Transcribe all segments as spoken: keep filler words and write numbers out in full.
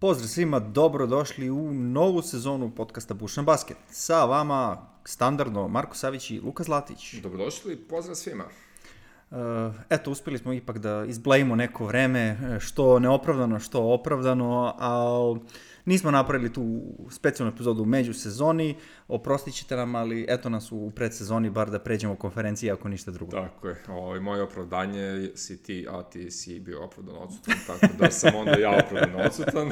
Pozdrav svima, dobrodošli u novu sezonu podcasta Bušan Basket. Sa vama standardno Marko Savić i Luka Zlatić. Dobrodošli, pozdrav svima. Uh, eto, uspjeli smo ipak da izblejimo neko vreme, što neopravdano, što opravdano, ali nismo napravili tu specijalnu epizodu u međusezoni, oprostit ćete nam, ali eto nas u predsezoni, bar da pređemo konferenciji, ako ništa drugo. Tako je, ovo, moje opravdanje si ti, a ti si bio opravdan odsutan, tako da sam onda ja opravdan odsutan.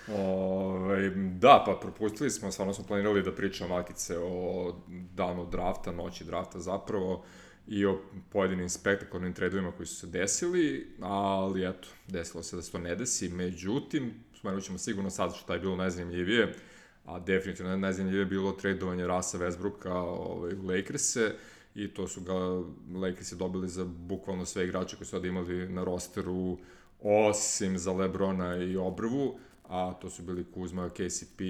Ove, da, pa propustili smo, stvarno smo planirali da pričamo malkice o danu drafta, noći drafta zapravo, i o pojedinim spektakularnim tradovima koji su se desili, ali eto, desilo se da se to ne desi. Međutim, spomenut ćemo sigurno sad što je bilo najzanimljivije, a definitivno najzanimljivije je bilo tradovanje Russa Westbrooka ovaj, u Lakers-e, i to su ga Lakersi dobili za bukvalno sve igrače koji su sada imali na rosteru, osim za LeBrona i Obrvu, a to su bili Kuzma, K C P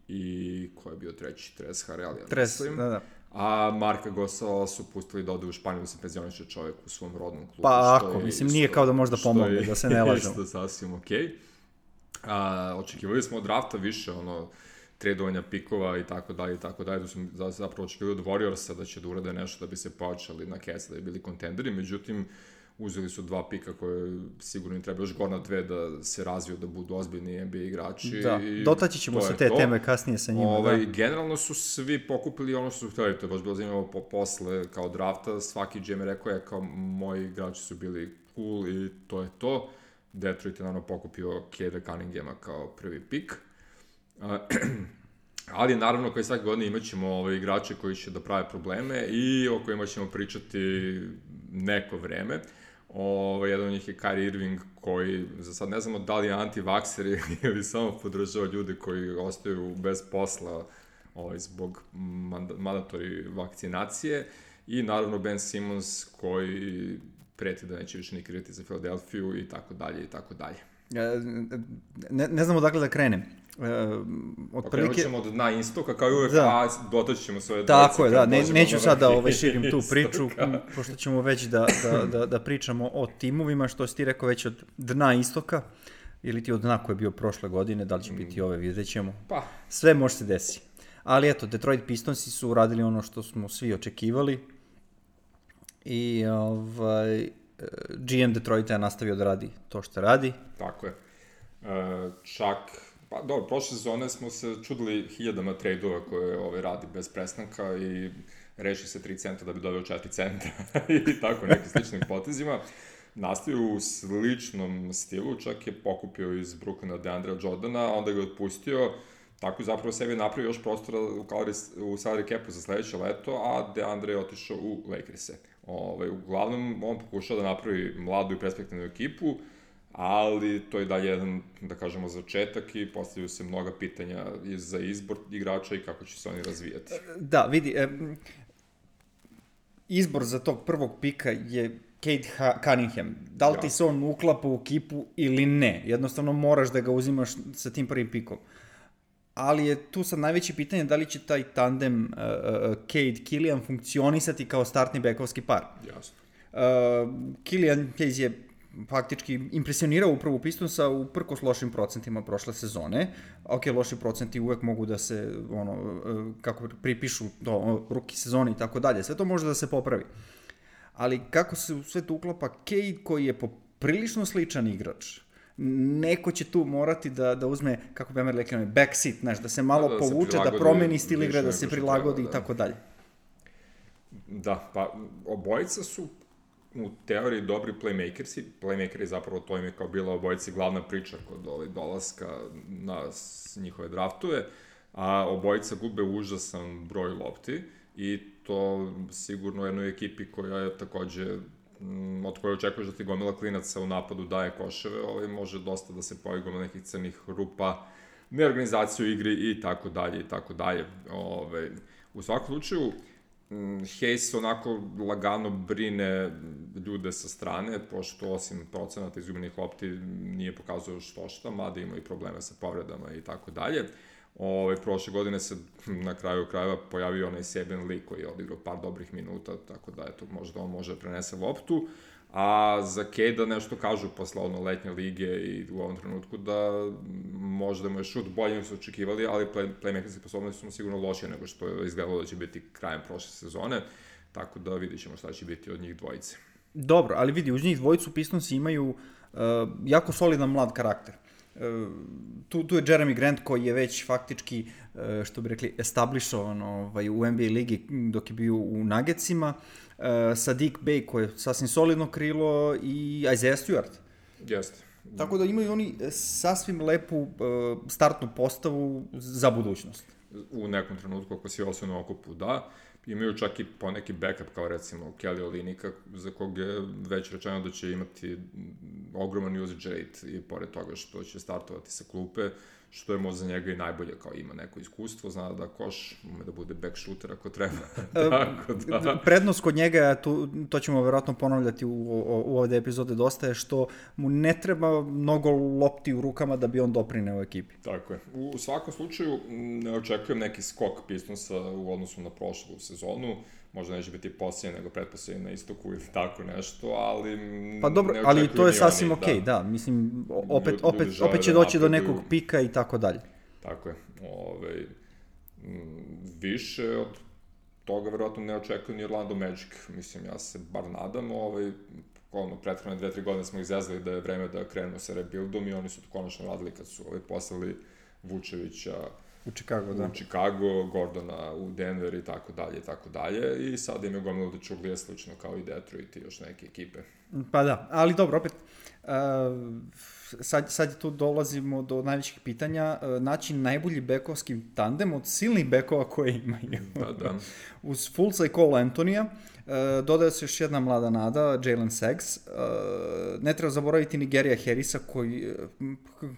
i ko je bio treći, Tres Harrell, ja Tres, mislim. da, da. A Marka Gasol su pustili da ode u Španiju da se penzioniše čovjek u svom rodnom klubu. Pa ako, mislim, nije kao da možda pomogne, da se ne lažemo. Što je sasvim okej. Okay. Očekivali smo od drafta više, ono, tradovanja pikova i tako dalje i tako dalje. Tu sam zapravo očekivali od Warriorsa da će da urade nešto da bi se pojačali na Cavs, da bi bili kontenderi. Međutim, uzeli su dva pika koje sigurno im treba još godina dve da se razviju, da budu ozbiljni N B A igrači. Da, dotaći ćemo se te to. teme kasnije sa njima. Ovaj, da. Generalno su svi pokupili ono što su htjeli, to je baš bilo zanimljivo po, posle kao drafta, svaki G M rekao je kao moji igrači su bili cool i to je to. Detroit je naravno pokupio Cade Cunninghama kao prvi pik. Uh, ali naravno koji svake godine imat ćemo ove igrače koji će da prave probleme i o kojima ćemo pričati neko vreme. Ovo, jedan od njih je Kyrie Irving, koji za sad ne znamo da li je anti-vakser ili samo podržava ljude koji ostaju bez posla ovaj, zbog mandatori vakcinacije, i naravno Ben Simmons koji preti da neće više nikad igrati za Filadelfiju i tako dalje i tako dalje. Ne, ne znamo dakle da krenem. E, otprilike... Krenut ćemo od dna istoka, kao i uvek, da. a dotaći ćemo svoje dvojce. Tako je, da, ne, neću sad da ovaj, širim tu priču, pošto ćemo već da, da, da, da pričamo o timovima, što si ti rekao već od dna istoka, ili ti od dna koji je bio prošle godine, da li će biti ove, vidjet ćemo. Pa. Sve može se desiti. Ali eto, Detroit Pistonsi su uradili ono što smo svi očekivali i ovaj... G M Detroita je nastavio da radi to što radi. Tako je. E, čak, pa dobro, prošle sezone smo se čudili hiljadama trejdova koje ove, radi bez prestanka i reši se tri centa da bi doveo četiri centa i tako nekim sličnim potezima. Nastavio u sličnom stilu, čak je pokupio iz Brooklyna DeAndrea Jordana, onda ga je otpustio, tako zapravo sebi napravio još prostora u, u salary capu za sledeće leto, a DeAndre je otišao u Lakers-e. Ove, uglavnom, on pokušao da napravi mladu i perspektivnu ekipu, ali to je dalje jedan, da kažemo, začetak i postavljaju se mnoga pitanja za izbor igrača i kako će se oni razvijati. Da, vidi, e, izbor za tog prvog pika je Cade Cunningham. Da li ti se on uklapa u ekipu ili ne? Jednostavno moraš da ga uzimaš sa tim prvim pikom. Ali je tu sad najveće pitanje da li će taj tandem uh, uh, Cade-Killian funkcionisati kao startni bekovski par. Jasno. Uh, Killian Hayes je faktički impresionirao upravo Pistonsa uprkos lošim procentima prošle sezone. Ok, loši procenti uvek mogu da se, ono, uh, kako pripišu do ruki sezone i tako dalje. Sve to može da se popravi. Ali kako se u sve to uklapa Cade, koji je poprilično sličan igrač, neko će tu morati da, da uzme, kako bi Amer rekao, backseat, znaš, da se malo da, da povuče, da promeni stil igre, da se prilagodi i tako dalje. Da, pa obojica su u teoriji dobri playmakersi. Playmakeri zapravo to im je kao bila obojici glavna priča kod ovaj dolaska na njihove draftove, a obojica gube užasan broj lopti i to sigurno u jednoj ekipi koja je takođe od koje očekuješ da ti gomila klinaca u napadu daje koševe, ovaj, može dosta da se pojavi gomila nekih crnih rupa, neorganizaciju igri i tako dalje i tako dalje. Ovaj, u svakom slučaju, Hayes onako lagano brine ljude sa strane, pošto osim procenata izgubljenih lopti nije pokazao što šta, mada ima i probleme sa povredama i tako dalje. Ove, prošle godine se na kraju krajeva pojavio onaj Saben Lee koji je odigrao par dobrih minuta, tako da eto, možda on može da prenese loptu, A za Cade-a nešto kažu posle ono letnje lige i u ovom trenutku da možda mu je šut bolje nego su očekivali, ali play, playmakerske sposobnosti su mu sigurno lošije nego što je izgledalo da će biti krajem prošle sezone, tako da vidit ćemo šta će biti od njih dvojice. Dobro, ali vidi, uz njih dvojicu Pistonsi imaju uh, jako solidan mlad karakter. Uh, tu, tu je Jeremy Grant koji je već faktički, uh, što bi rekli, establishovan ovaj, u N B A ligi dok je bio u Nuggetsima, uh, Saddiq Bey koji je sasvim solidno krilo i Isaiah Stewart. Jeste. Tako da imaju oni sasvim lepu uh, startnu postavu za budućnost. U nekom trenutku, ako si osvojeno okupu, da. Imaju čak i poneki backup, kao recimo Kelly Olynyk, za kog je već rečeno da će imati ogroman usage rate i pored toga što će startovati sa klupe, što je možda za njega i najbolje, kao ima neko iskustvo, zna da koš, ume da bude back shooter ako treba. Tako da. Prednost kod njega, to, to ćemo verovatno ponavljati u, u, u ovde epizode dosta, je što mu ne treba mnogo lopti u rukama da bi on doprineo u ekipi. Tako je. U svakom slučaju ne očekujem neki skok Pistonsa u odnosu na prošlu sezonu, možda neće biti posljednje nego pretposljednje na istoku ili tako nešto, ali pa dobro, ali to je sasvim okej, okay, da. da, mislim, opet, ljudi, opet, ljudi opet će doći do nekog pika i tako dalje. Tako je, Ove, više od toga verovatno ne očekujem ni Orlando Magic, mislim, ja se bar nadam, ovaj, ono, prethodne dve, tri godine smo ih zezali da je vreme da krenu sa rebuildom i oni su to konačno radili kad su ovaj, poslali Vučevića u Chicago, da. U Chicago, Gordona u Denver i tako dalje i tako dalje i sad im je gomilo da Čuglija slično kao i Detroit i još neke ekipe. Pa da, ali dobro, opet, uh, sad, sad tu dolazimo do najvećih pitanja, uh, naći najbolji bekovski tandem od silnih bekova koje imaju. Da, da. Uz Fultza i Cole Antonija, uh, dodaje se još jedna mlada nada, Jalen Suggs, uh, ne treba zaboraviti ni Garyja Harrisa koji... Uh,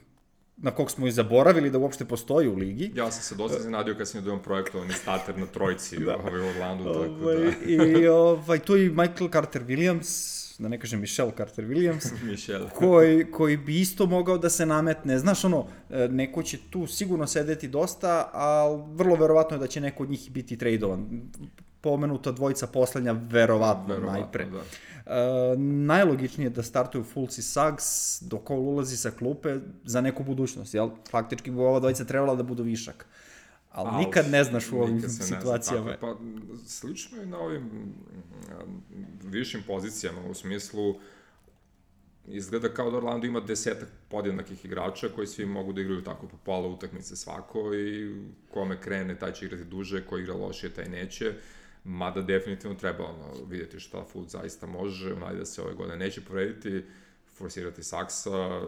na kog smo i zaboravili da uopšte postoji u ligi. Ja sam se dosta zanadio kad sam je dojem projektovani starter na trojici da. ovaj, u Orlandu, tako ovaj, da... I ovaj, tu je Michael Carter-Williams, da ne kažem Michelle Carter-Williams, Michelle. koji, koji bi isto mogao da se nametne. Znaš, ono, neko će tu sigurno sedeti dosta, ali vrlo verovatno je da će neko od njih biti tradovan. Pomenuta dvojica poslednja, verovatno, verovatno najpre. Da. Uh, najlogičnije je da startuju Fultz i Suggs dok Cole ulazi sa klupe za neku budućnost, jel? Faktički bi ova dvojica trebala da budu višak. Ali Al, nikad ne znaš u ovim situacijama. Zna, pa, slično je na ovim višim pozicijama, u smislu izgleda kao da Orlando ima desetak podjednakih igrača koji svi mogu da igraju tako po pola utakmice svako i kome krene taj će igrati duže, ko igra lošije taj neće. Mada definitivno treba ono, vidjeti šta Fultz zaista može, onaj da se ove godine neće povrediti, forsirati Saggsa,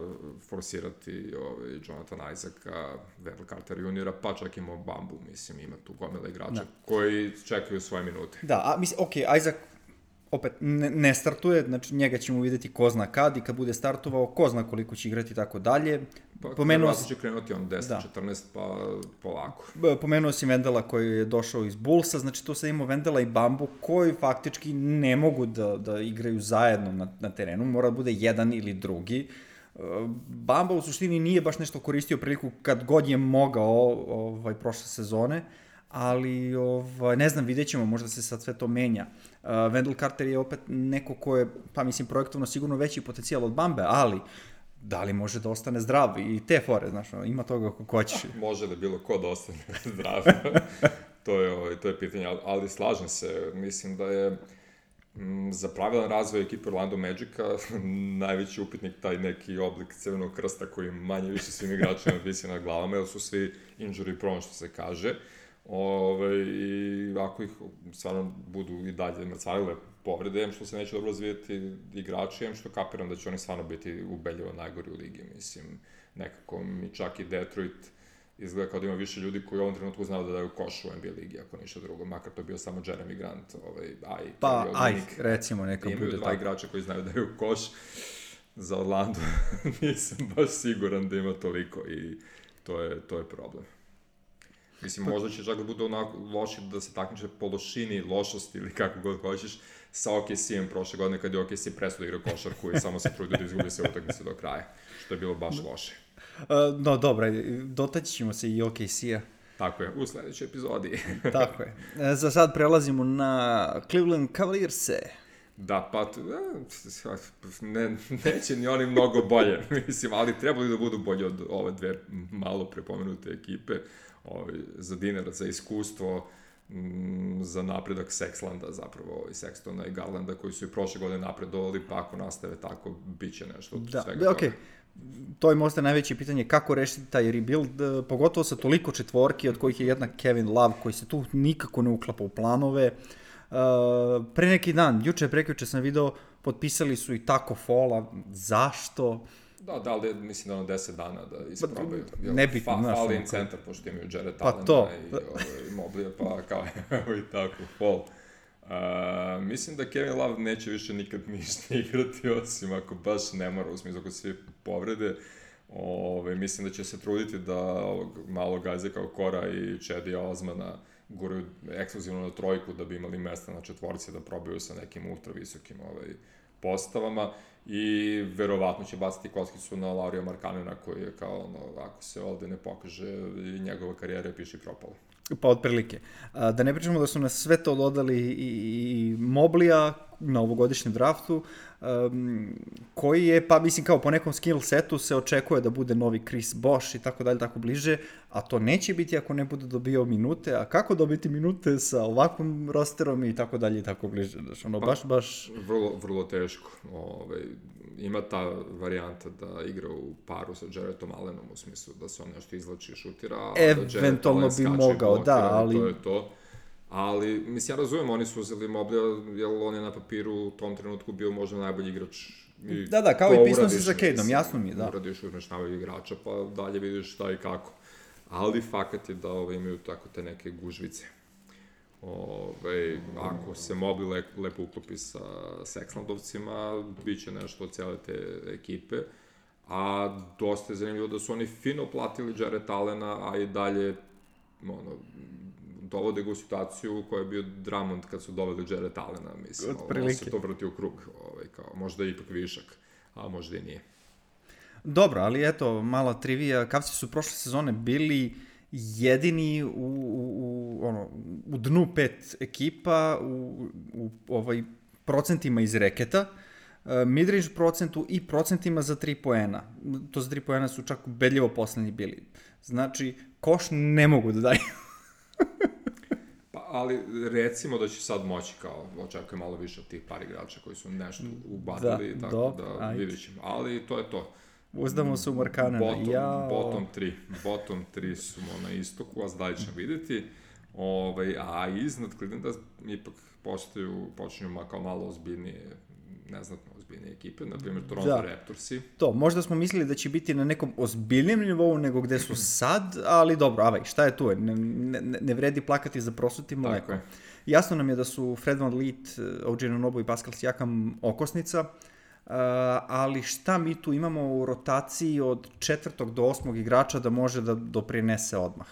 forsirati ovaj, Jonathan Isaaca, Wendell Carter juniora, pa čak ima Bambu, mislim, ima tu gomila igrača da. Koji čekaju svoje minute. Da, a mislim, okej, okay, Isaac opet ne, ne startuje, znači njega ćemo vidjeti ko zna kad i kad bude startovao, ko zna koliko će igrati i tako dalje. Pa pomenuo će krenuti on deset četrnaest, pa polako. Pomenuo si Wendela koji je došao iz Bullsa, znači tu sad imamo Wendela i Bambu koji faktički ne mogu da, da igraju zajedno na, na terenu, mora da bude jedan ili drugi. Bamba u suštini nije baš nešto koristio priliku kad god je mogao ovaj, prošle sezone, ali ovaj, ne znam, vidjet ćemo, možda se sad sve to menja. Uh, Wendell Carter je opet neko ko je, pa mislim, projektovno sigurno veći potencijal od Bambe, ali da li može da ostane zdrav i te fore, znaš, ima toga kako hoćeš. Može da bilo ko da ostane zdrav, to, je, to je pitanje, ali slažem se, mislim da je m, za pravilan razvoj ekipe Orlando Magica najveći upitnik taj neki oblik crvenog krsta koji manje više svim igračima visi na glavama, jer su svi injury prone, što se kaže. Ove, i ako ih stvarno budu i dalje mrcvarile povrede, što se neće dobro razvijeti igrači, što kapiram da će oni stvarno biti ubedljivo najgori u ligi, mislim, nekako mi čak i Detroit izgleda kao da ima više ljudi koji u ovom trenutku znaju da daju koš u N B A ligi, ako ništa drugo, makar to bio samo Jeremy Grant, ovaj, aj, pa, aj, recimo, neka bude imaju dva igrača koji znaju da daju koš za Orlando, nisam baš siguran da ima toliko i to je, to je problem. Mislim, možda će čak da bude onako loši da se takmiče po lošini, lošosti ili kako god hoćeš sa O K C-em prošle godine kad je O K C presuda igra košarku i samo se trudio da izgubi se utakmice do kraja, što je bilo baš loše. Uh, no, dobro, dotaći ćemo se i O K C-a. Tako je, u sledećoj epizodi. Tako je. Za sad prelazimo na Cleveland Cavaliers-e. Da, pa, ne, neće ni oni mnogo bolje, mislim, ali trebali da budu bolje od ove dve malo prepomenute ekipe, ovaj, za dinar, za iskustvo, m, za napredak Sexlanda, zapravo, ovaj, Sextona i Garlanda, koji su i prošle godine napredovali, pa ako nastave tako, bit će nešto od da, svega da, okay. To je možda najveće pitanje, kako rešiti taj rebuild, pogotovo sa toliko četvorki, od kojih je jedna Kevin Love, koji se tu nikako ne uklapa u planove. Uh, pre neki dan, juče, prekjuče sam video, potpisali su i Taco Falla, zašto? Da, da, ali mislim da ono deset dana da isprobaju. Nebitno, fa, znaš. Fali im centar, pošto imaju Jared pa Allena to. i ovaj, Moblija, pa kao evo i Taco Fall. Uh, mislim da Kevin Love neće više nikad ništa igrati, osim ako baš ne mora, u smislu ako svi povrede. Ove, mislim da će se truditi da ovog malo gaze kao Kora i Čedija Osmana guraju ekskluzivno na trojku da bi imali mesta na četvorci da probaju sa nekim ultra visokim ovaj, postavama i verovatno će baciti kockicu na Laurija Markkanena koji je kao ono, ako se ovde ne pokaže i njegova karijera je piše propala. Pa otprilike. Da ne pričamo da su nas sve to dodali i, i Moblija na ovogodišnjem draftu, um, koji je, pa mislim kao po nekom skill setu se očekuje da bude novi Chris Bosh i tako dalje, tako bliže, a to neće biti ako ne bude dobio minute, a kako dobiti minute sa ovakvom rosterom i tako dalje i tako bliže, znaš, ono, baš, baš... Vrlo, vrlo teško, ovaj, ima ta varijanta da igra u paru sa Jaredom Allenom, u smislu da se on nešto izlači i šutira, a eventualno bi mogao, da, ali... To je to. Ali, mislim, ja razumijem, oni su uzeli Moblija, jer on je na papiru u tom trenutku bio možda najbolji igrač. I da, da, kao i Pistonsi sa Cadeom, jasno mi je, da. Uradiš, uzmeš najbolji igrača, pa dalje vidiš šta i kako. Ali fakat je da ove, imaju tako te neke gužvice. Ove, ako se Moblij le, lepo uklopi sa Sexlandovcima, bit će nešto od cijele te ekipe. A dosta je zanimljivo da su oni fino platili Jared Allena, a i dalje ono, dovode ga u situaciju u kojoj je bio Drummond kad su doveli Jared Allena, mislim, ono se to vrti u krug, ovaj, kao, možda je ipak višak, a možda i nije. Dobro, ali eto, mala trivija, Cavsi su prošle sezone bili jedini u, u, u, ono, u dnu pet ekipa, u, u ovaj, procentima iz reketa, midrange procentu i procentima za tri poena. To za tri poena su čak ubedljivo poslednji bili. Znači, koš ne mogu da daju. Pa, ali recimo da će sad moći kao, očekuje malo više od tih par igrača koji su nešto ubadili, da, tako do, da ajde. Vidit ćemo. Ali to je to. Uzdamo se u Markkanena. Bottom, ja... bottom tri. Bottom tri su na istoku, a dalje ćemo vidjeti. Ove, a iznad Clevelanda ipak postaju, počinju kao malo ozbiljnije, neznatno ozbiljnije ekipe, na primjer Toronto da. Raptorsi. To, možda smo mislili da će biti na nekom ozbiljnijem nivou nego gde su sad, ali dobro, avaj, šta je tu? Ne, ne, ne vredi plakati za prosutim mlekom. Jasno nam je da su Fred VanVleet, O G Anunoby i Pascal Siakam okosnica, uh, ali šta mi tu imamo u rotaciji od četvrtog do osmog igrača da može da doprinese odmah?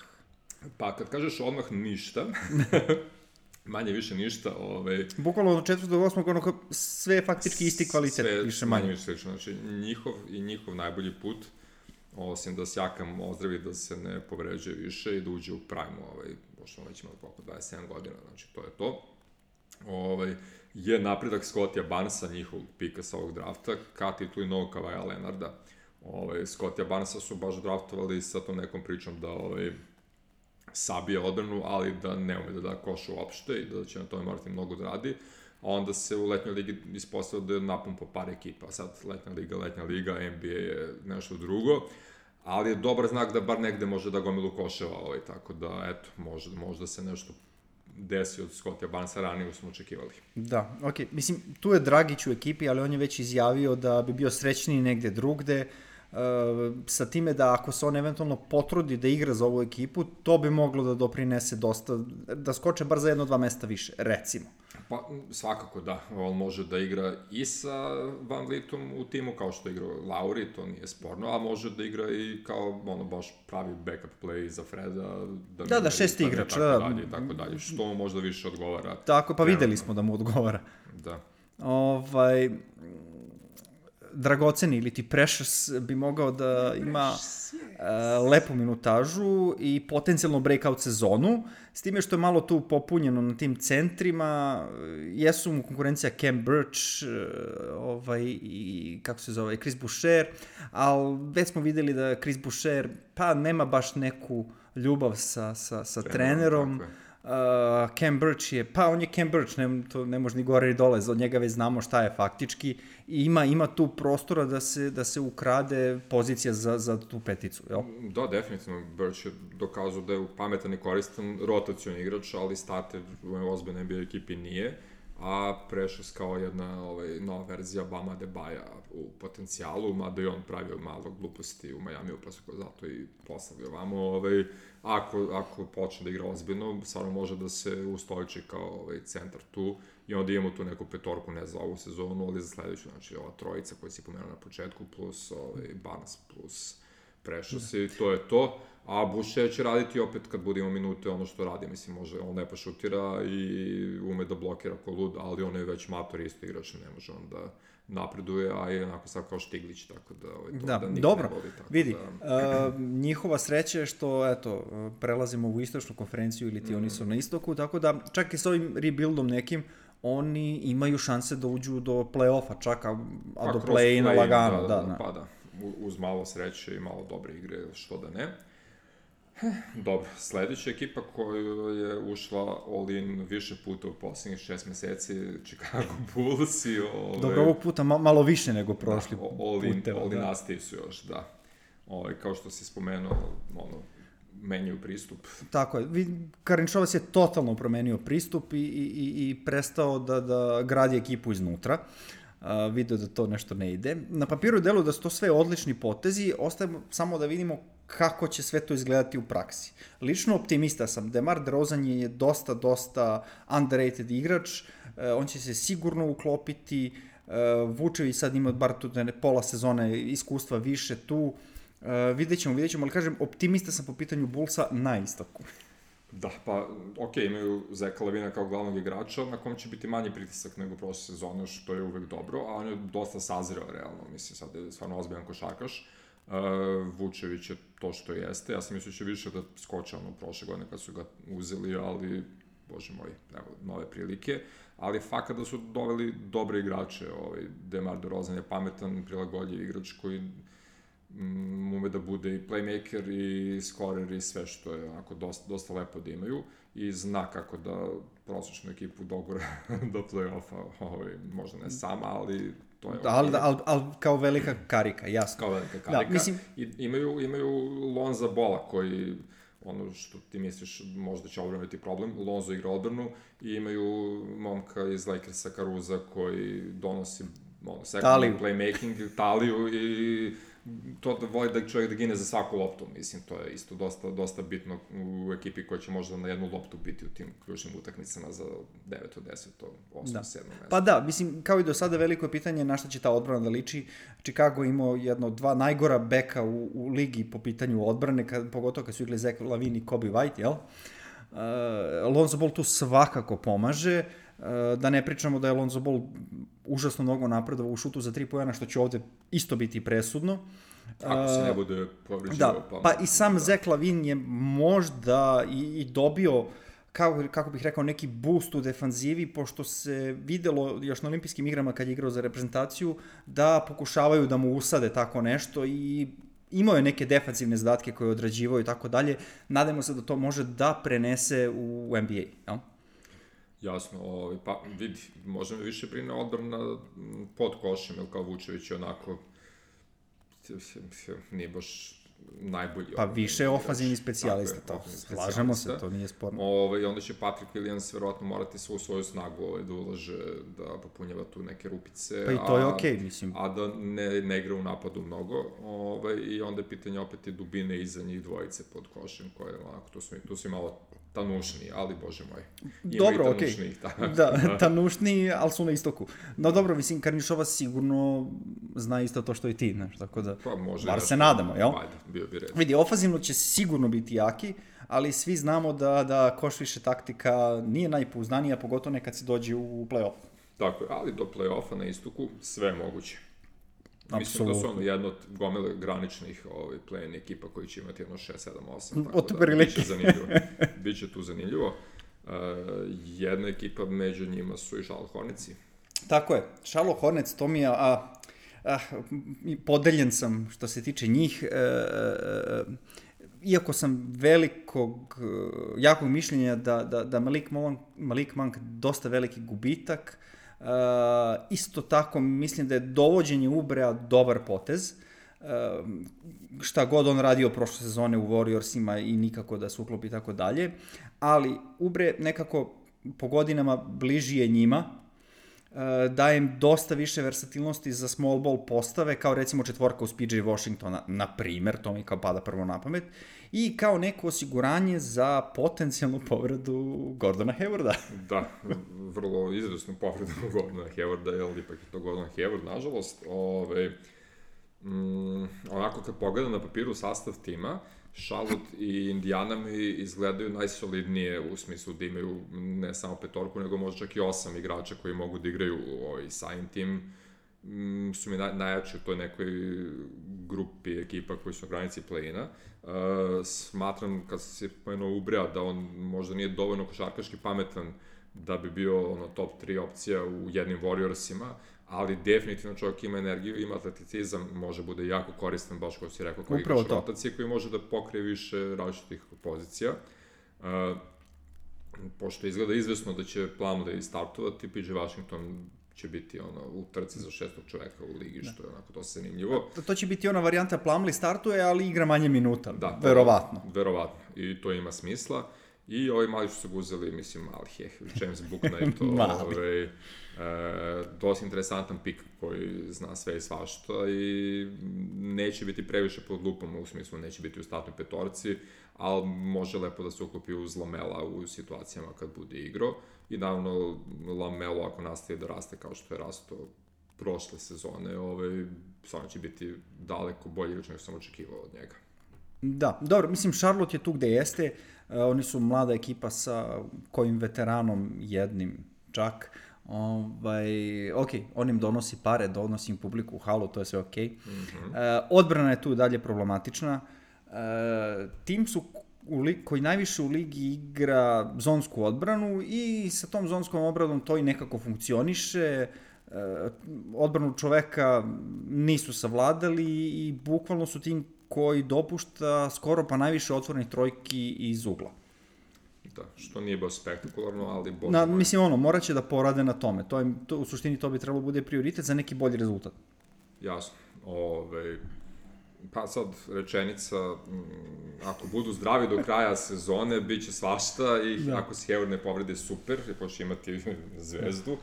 Pa kad kažeš odmah ništa, manje više ništa, ovaj... Bukvalno od četvrtog do osmog, ono sve je faktički isti kvalitet, sve, više manje. Više slično, znači njihov i njihov najbolji put, osim da Siakam ozdravi da se ne povređuje više i da uđe u prime, ovaj, pošto već ima oko dvadeset sedam godina, znači to je to. Ovaj, je napredak Scottija Barnesa, njihovog pika sa ovog drafta, ka tituli novog Kavaja Leonarda. Ovaj, Scottija Barnesa su baš draftovali sa tom nekom pričom da ovaj, sabije odbranu, ali da ne ume da da koš uopšte i da će na tome morati mnogo da radi. A onda se u letnjoj ligi ispostavio da je napumpo par ekipa. Sad letnja liga, letnja liga, N B A je nešto drugo. Ali je dobar znak da bar negde može da gomilu koševa, ovaj, tako da, eto, možda, možda se nešto desi od Scottija Barnesa, ranije smo očekivali. Da, okej. Okay. Mislim, tu je Dragić u ekipi, ali on je već izjavio da bi bio srećniji negde drugde, uh, sa time da ako se on eventualno potrudi da igra za ovu ekipu, to bi moglo da doprinese dosta, da skoče bar za jedno, dva mesta više, recimo. Pa, svakako da. On može da igra i sa VanVleetom u timu, kao što igra Lauri, to nije sporno, a može da igra i kao, ono, baš pravi backup play za Freda. Da, da, da, šest igrač. Tako da, dalje, tako dalje, što mu možda više odgovara. Tako, pa videli smo da mu odgovara. Da. Ovaj... dragoceni ili ti Precious bi mogao da ima uh, lepu minutažu i potencijalno breakout sezonu, s time što je malo tu popunjeno na tim centrima, jesu mu konkurencija Cam Birch uh, ovaj, i kako se zove, Chris Boucher, ali već smo videli da Chris Boucher pa nema baš neku ljubav sa, sa, sa trenerom. Uh, Cam Birch je, pa on je Cam Birch, ne, to ne može ni gore ni dole, od njega već znamo šta je faktički i ima, ima tu prostora da se, da se ukrade pozicija za, za tu peticu, jel? Da, definitivno, Birch je dokazao da je pametan i koristan rotacioni igrač, ali starter u ozbiljnoj N B A ekipi nije, a Precious kao jedna ovaj, nova verzija Bama Adebaja u potencijalu, mada i on pravio malo gluposti u Majamiju, pa su ko zato i poslali ovamo, ovaj, ako, ako počne da igra ozbiljno, stvarno može da se ustoliči kao ovaj, centar tu i onda imamo tu neku petorku, ne za ovu sezonu, ali za sledeću, znači ova trojica koja si pomenuo na početku, plus ovaj, Barnes, plus Precious i to je to. A Boucher će raditi opet kad bude imao minute ono što radi, mislim, može, on lepo šutira i ume da blokira ko lud, ali on je već mator isto igrač, ne može on da napreduje, a je onako sad kao Štiglić, tako da ovaj, to da, da dobro, ne voli. Tako vidi, da... uh, njihova sreća je što, eto, prelazimo u istočnu konferenciju ili ti mm. oni su na istoku, tako da čak i s ovim rebuildom nekim, oni imaju šanse da uđu do play-offa, čak, a, a pa, do play-ina play lagano, da, da, da, da. Pa da, uz malo sreće i malo dobre igre, što da ne. Dobro, sledeća ekipa koja je ušla all-in više puta u poslednjih šest meseci, Chicago Bulls i... Ove, Dobro, ovog puta ma, malo više nego prošli da, all-in, puteva. All-in da. nastavi su još, da. Ove, kao što si spomenuo, ono, menjaju pristup. Tako je, Karničovac je totalno promenio pristup i, i, i prestao da, da gradi ekipu iznutra. Uh, video da to nešto ne ide. Na papiru delu da su to sve odlični potezi, ostaje samo da vidimo kako će sve to izgledati u praksi. Lično optimista sam. DeMar DeRozan je dosta, dosta underrated igrač, uh, on će se sigurno uklopiti, uh, Vučević sad ima bar tu pola sezone iskustva više tu, uh, vidjet ćemo, vidjet ćemo, ali kažem, optimista sam po pitanju Bullsa na istoku. Da, pa, ok, imaju Zeka Lavina kao glavnog igrača, na kom će biti manji pritisak nego prošle sezone, što je uvek dobro, a on je dosta sazreo, realno, mislim, sad je stvarno ozbiljan košarkaš. Uh, Vučević je to što jeste, ja sam mislio će više da skoče ono prošle godine kad su ga uzeli, ali, bože moj, evo, nove prilike, ali fakat da su doveli dobre igrače, ovaj, DeMar DeRozan je pametan, prilagodljiv igrač koji um, ume da bude i playmaker i scorer i sve što je onako dosta, dosta lepo da imaju i zna kako da prosječnu ekipu dogura do play-offa, ovaj, možda ne sama, ali to je... Ali okay. al, al, kao velika karika, jasno. Kao velika karika. Da, mislim... I imaju, imaju Lonza Bola koji, ono što ti misliš, možda će odbraniti problem, Lonzo igra odbranu i imaju momka iz Lakersa Caruza koji donosi ono, second playmaking, taliju i to da voli da čovjek da gine za svaku loptu, mislim, to je isto dosta, dosta bitno u ekipi koja će možda na jednu loptu biti u tim ključnim utakmicama za deveto, deseto, osmo, sedmo mesto. Pa da, mislim, kao i do sada veliko je pitanje na šta će ta odbrana da liči. Chicago imao jedno, dva najgora beka u, u ligi po pitanju odbrane, kad, pogotovo kad su igli Zach Lavin i Kobe White, jel? Uh, Lonzo Ball tu svakako pomaže, uh, da ne pričamo da je Lonzo Ball užasno mnogo napredovao u šutu za tri poena, što će ovde isto biti presudno. Ako se ne bude povređivao. Da, pa, pa i sam da. Zach Lavin je možda i, i dobio, kako, kako bih rekao, neki boost u defanzivi, pošto se videlo još na olimpijskim igrama kad je igrao za reprezentaciju, da pokušavaju da mu usade tako nešto i imao je neke defanzivne zadatke koje je odrađivao i tako dalje. Nadajmo se da to može da prenese u N B A, jel? Jasno, ovaj, pa vidi, možda me više brine odbrana pod košem, jer kao Vučević je onako nije baš najbolji. Pa više je ofanzivni specijalista, to slažemo se, to nije sporno. Ove, I onda će Patrick Williams verovatno morati svu svoju snagu ove, da ulaže, da popunjava tu neke rupice. Pa i to je okej, okay, mislim. A da ne, ne igra u napadu mnogo. Ove, I onda je pitanje opet i dubine iza njih dvojice pod košem, koje onako, tu su, tu su malo tanušniji, ali bože moj. Ima dobro, okej. Okay. Da, tanušniji, ali su na istoku. No dobro, mislim, Karnišova sigurno zna isto to što i ti, znaš, tako da, pa može, bar se nadamo, jel? Ajde, bio bi red. Vidi, ofazivno će sigurno biti jaki, ali svi znamo da, da koš više taktika nije najpouzdanija, pogotovo nekad se dođe u play-off. Tako je, ali do play-offa na istoku sve je moguće. Mislim da su ono jedno od gomile graničnih ovaj, play-in ekipa koji će imati jedno šest, sedam, osam. Od da, biće zanimljivo. Biće tu zanimljivo. Uh, jedna ekipa među njima su i Charlotte Hornetsi. Tako je. Charlotte Hornets, to mi je... A, a, podeljen sam što se tiče njih. E, e, iako sam velikog, jakog mišljenja da, da, da Malik Monk, Malik Monk dosta veliki gubitak, Uh, isto tako mislim da je dovođenje Ubrea dobar potez. Uh, šta god on radio prošle sezone u Warriorsima i nikako da se uklopi i tako dalje, ali Ubre nekako po godinama bliži je njima, uh, daje im dosta više versatilnosti za small ball postave, kao recimo četvorka uz P J Washingtona, na primer, to mi kao pada prvo na pamet, i kao neko osiguranje za potencijalnu povredu Gordona Haywarda. Da, vrlo izvesnu povredu Gordona Haywarda, jer ipak je to Gordon Hayward, nažalost. Ove, mm, onako kad pogledam na papiru sastav tima, Charlotte i Indiana mi izgledaju najsolidnije u smislu da imaju ne samo petorku, nego možda čak i osam igrača koji mogu da igraju ovaj, sign team. Mm, su mi naj, najjači u toj nekoj grupi ekipa koji su na granici play-ina. Uh, smatram, kad se pomenuo Ubrea, da on možda nije dovoljno košarkaški pametan da bi bio ono, top tri opcija u jednim Warriorsima, ali definitivno čovjek ima energiju, ima atleticizam, može bude jako koristan, baš kao si rekao, kao igrač rotacije, koji može da pokrije više različitih pozicija. Uh, pošto izgleda izvesno da će planu da je startovati, P J Washington će biti ono, u trci za šestog čoveka u ligi, što je onako dosta zanimljivo. To, to će biti ona varijanta Plumlee startuje, ali igra manje minuta, da, verovatno. Verovatno, i to ima smisla. I ovi mali su se guzeli, mislim, mali je, James Bouknight, ovaj, e, dosta interesantan pik koji zna sve i svašta i neće biti previše pod lupom, u smislu neće biti u startnoj petorci, ali može lepo da se uklopi uz Lamela u situacijama kad bude igrao. I naravno, Lamelo ako nastaje da raste kao što je rastao prošle sezone, ovaj, stvarno će biti daleko bolji igrač nego sam očekivao od njega. Da, dobro, mislim, Charlotte je tu gde jeste, uh, oni su mlada ekipa sa kojim veteranom jednim čak, ovaj, ok, on im donosi pare, donosi im publiku u halu, to je sve ok. Mm-hmm. Uh, odbrana je tu dalje problematična, uh, tim su u li, koji najviše u ligi igra zonsku odbranu i sa tom zonskom odbranom to i nekako funkcioniše, uh, odbranu čoveka nisu savladali i bukvalno su tim koji dopušta skoro pa najviše otvorenih trojki iz ugla. Da, što nije baš spektakularno, ali bože na, mislim, ono, morat će da porade na tome. To je, to, u suštini to bi trebalo bude prioritet za neki bolji rezultat. Jasno. Ove, pa sad, rečenica, m, ako budu zdravi do kraja sezone, bit će svašta i da. Ako se Hayward ne povrede, super, jer pošto imati zvezdu.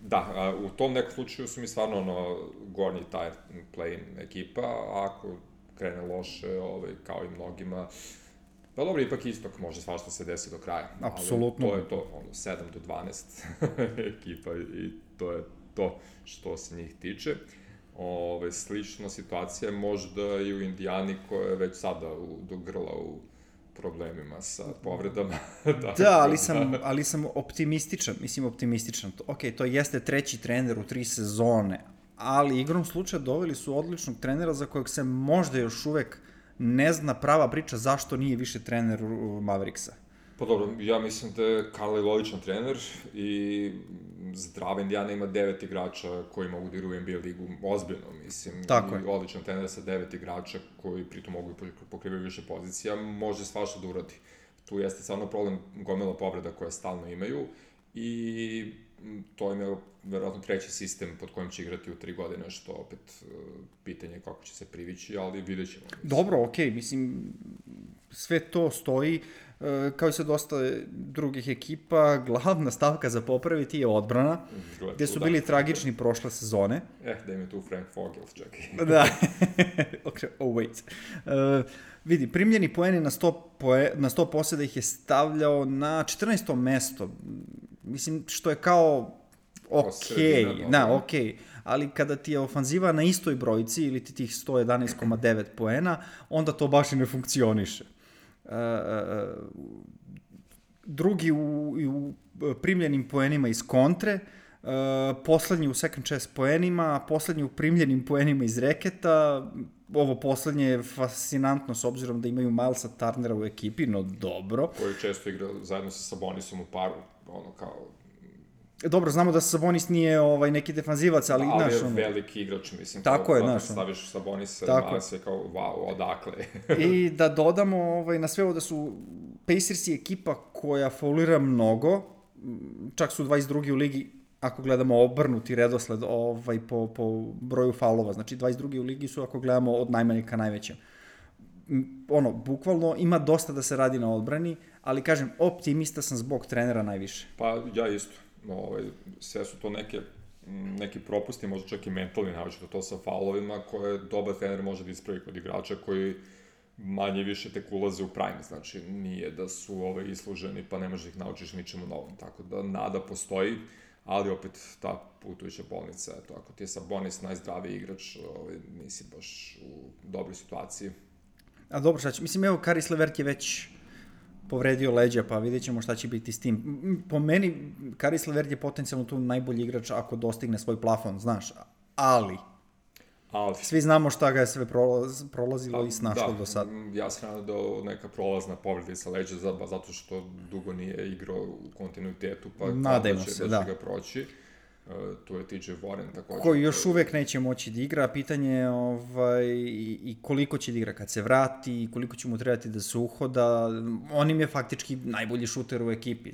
Da, a, u tom nekom slučaju su mi stvarno ono, gornji taj play-in ekipa, a ako krene loše, ovaj, kao i mnogima. Pa dobro, ipak istok može svašta se desi do kraja. Apsolutno. Ali to je to, ono, sedam do dvanaest ekipa i to je to što se njih tiče. Ove, slična situacija je možda i u Indijani koja je već sada u, do grla u problemima sa povredama. Da, ali sam, ali sam optimističan, mislim optimističan. Ok, to jeste treći trener u tri sezone, ali igrom slučaja doveli su odličnog trenera za kojeg se možda još uvek ne zna prava priča zašto nije više trener Mavericksa. Pa dobro, ja mislim da je Carlisle odličan trener i zdrava Indijana ima devet igrača koji mogu da igraju u N B A ligu, ozbiljno, mislim. Tako je. I odličan trener sa devet igrača koji pritom mogu da pokrivaju više pozicija, može svašta da uradi. Tu jeste stvarno problem gomila povreda koje stalno imaju i to im je verovatno treći sistem pod kojim će igrati u tri godine, što opet pitanje kako će se privići, ali vidjet ćemo. Dobro, okej, okay, mislim, sve to stoji, kao i sa dosta drugih ekipa, glavna stavka za popraviti je odbrana, Gled, gde su bili da. tragični prošle sezone. Eh, da im je tu Frank Vogel, čekaj. Da, okay, oh wait. Uh, vidi, primljeni poeni na sto, poe, na sto poseda ih je stavljao na četrnaesto mesto. Mislim, što je kao okej, okay, da, okej, okay. Ali kada ti je ofanziva na istoj brojci ili ti tih sto jedanaest zarez devet poena, onda to baš i ne funkcioniše. Uh, drugi u, u primljenim poenima iz kontre, uh, poslednji u second chance poenima, poslednji u primljenim poenima iz reketa, ovo poslednje je fascinantno s obzirom da imaju Milesa Turnera u ekipi, no dobro. Koji često igra zajedno sa Sabonisom u paru, ono kao... Dobro, znamo da Sabonis nije ovaj, neki defanzivac, ali... Ali naš, je ono... veliki igrač, mislim. Tako kao, je, znaš. Staviš Sabonisa, Miles je kao, wow, odakle. I da dodamo ovaj, na sve ovo da su Pacersi ekipa koja faulira mnogo, čak su dvadeset drugi u ligi, ako gledamo obrnuti redosled ovaj, po, po broju faulova, znači dvadeset drugi u ligi su ako gledamo od najmanjeg ka najvećem. Ono, bukvalno ima dosta da se radi na odbrani, ali kažem, optimista sam zbog trenera najviše. Pa ja isto. Ovaj, sve su to neke, neki propusti, možda čak i mentalni, naočito to sa faulovima, koje dobar trener može da ispravi kod igrača koji manje više tek ulaze u prime, znači nije da su ovaj, isluženi pa ne možeš ih naučiš ničemu novom, tako da nada postoji, ali opet ta putujuća bolnica, eto, ako ti je Sabonis najzdraviji igrač, ovaj, nisi baš u dobroj situaciji. A dobro, šta će, mislim, evo, Karis Levert je već povredio leđa, pa vidjet ćemo šta će biti s tim. Po meni, Karis Levert je potencijalno tu najbolji igrač ako dostigne svoj plafon, znaš, ali... Ali. Svi znamo šta ga je sve prolaz, prolazilo da, i snašlo da, do sad. Ja sam nadam da neka prolazna povreda sa leđa, zato što dugo nije igrao u kontinuitetu, pa nadajmo da će, se, da da. će ga proći. Uh, tu je T J Warren također. Koji još uvek neće moći da igra, pitanje je ovaj, i, i koliko će da igra kad se vrati, koliko će mu trebati da se uhoda. On im je faktički najbolji šuter u ekipi.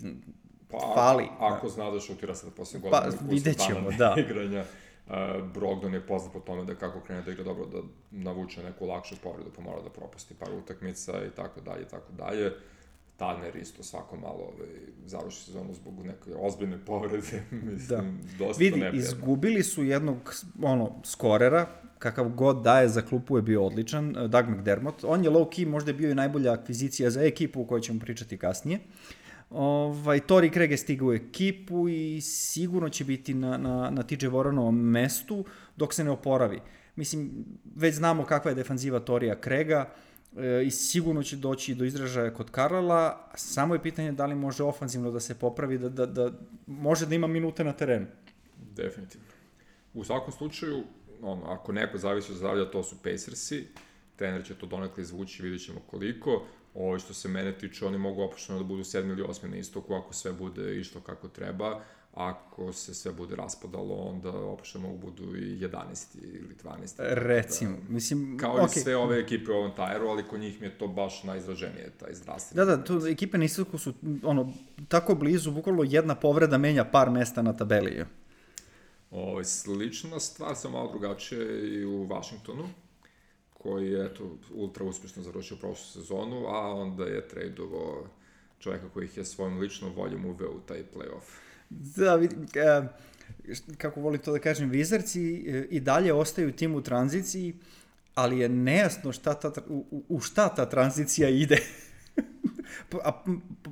Pa, Fali. Ako da. zna da šutira sad poslije godina. Pa, vidjet ćemo, da. Igranja. Uh, Brogdon je poznat po tome da kako krene da igra dobro, da navuče neku lakšu povredu, pa mora da propusti par utakmica i tako dalje, i tako dalje. Turner isto svako malo ovaj, završi sezonu zbog neke ozbiljne povrede, mislim, da. Dosta vidi, neprijatno. Izgubili su jednog ono, skorera, kakav god daje za klupu je bio odličan, Doug McDermott. On je low-key, možda je bio i najbolja akvizicija za ekipu o kojoj ćemo pričati kasnije. Ovaj, Torrey Craig je stigao u ekipu i sigurno će biti na, na, na T J Warrenovom mestu dok se ne oporavi. Mislim, već znamo kakva je defanziva Torreya Craiga e, i sigurno će doći do izražaja kod Karla, samo je pitanje da li može ofanzivno da se popravi, da, da, da može da ima minute na terenu. Definitivno. U svakom slučaju, ono, ako neko zavisi od zdravlja, to su Pacersi, trener će to donekle izvući, vidjet ćemo koliko. Ovo što se mene tiče, oni mogu opušteno da budu sedmi ili osmi na istoku, ako sve bude išlo kako treba. Ako se sve bude raspadalo, onda opušteno mogu budu i jedanaesti ili dvanaesti. Recimo, da, mislim... Kao okay. i sve ove ekipe u ovom tajeru, ali kod njih mi je to baš najizraženije, taj zdravstveni. Da, da, tu ekipe na istoku su ono, tako blizu, bukvalno jedna povreda menja par mesta na tabeli. Ovo, slična stvar, samo malo drugačije i u Washingtonu, koji je eto, ultra uspješno završio prošlu sezonu, a onda je tradeovao čovjeka koji ih je svojom ličnom voljom uveo u taj play-off. Da, vidim, kako volim to da kažem, Wizardsi i dalje ostaju tim u tranziciji, ali je nejasno šta ta, u, u šta ta tranzicija ide. A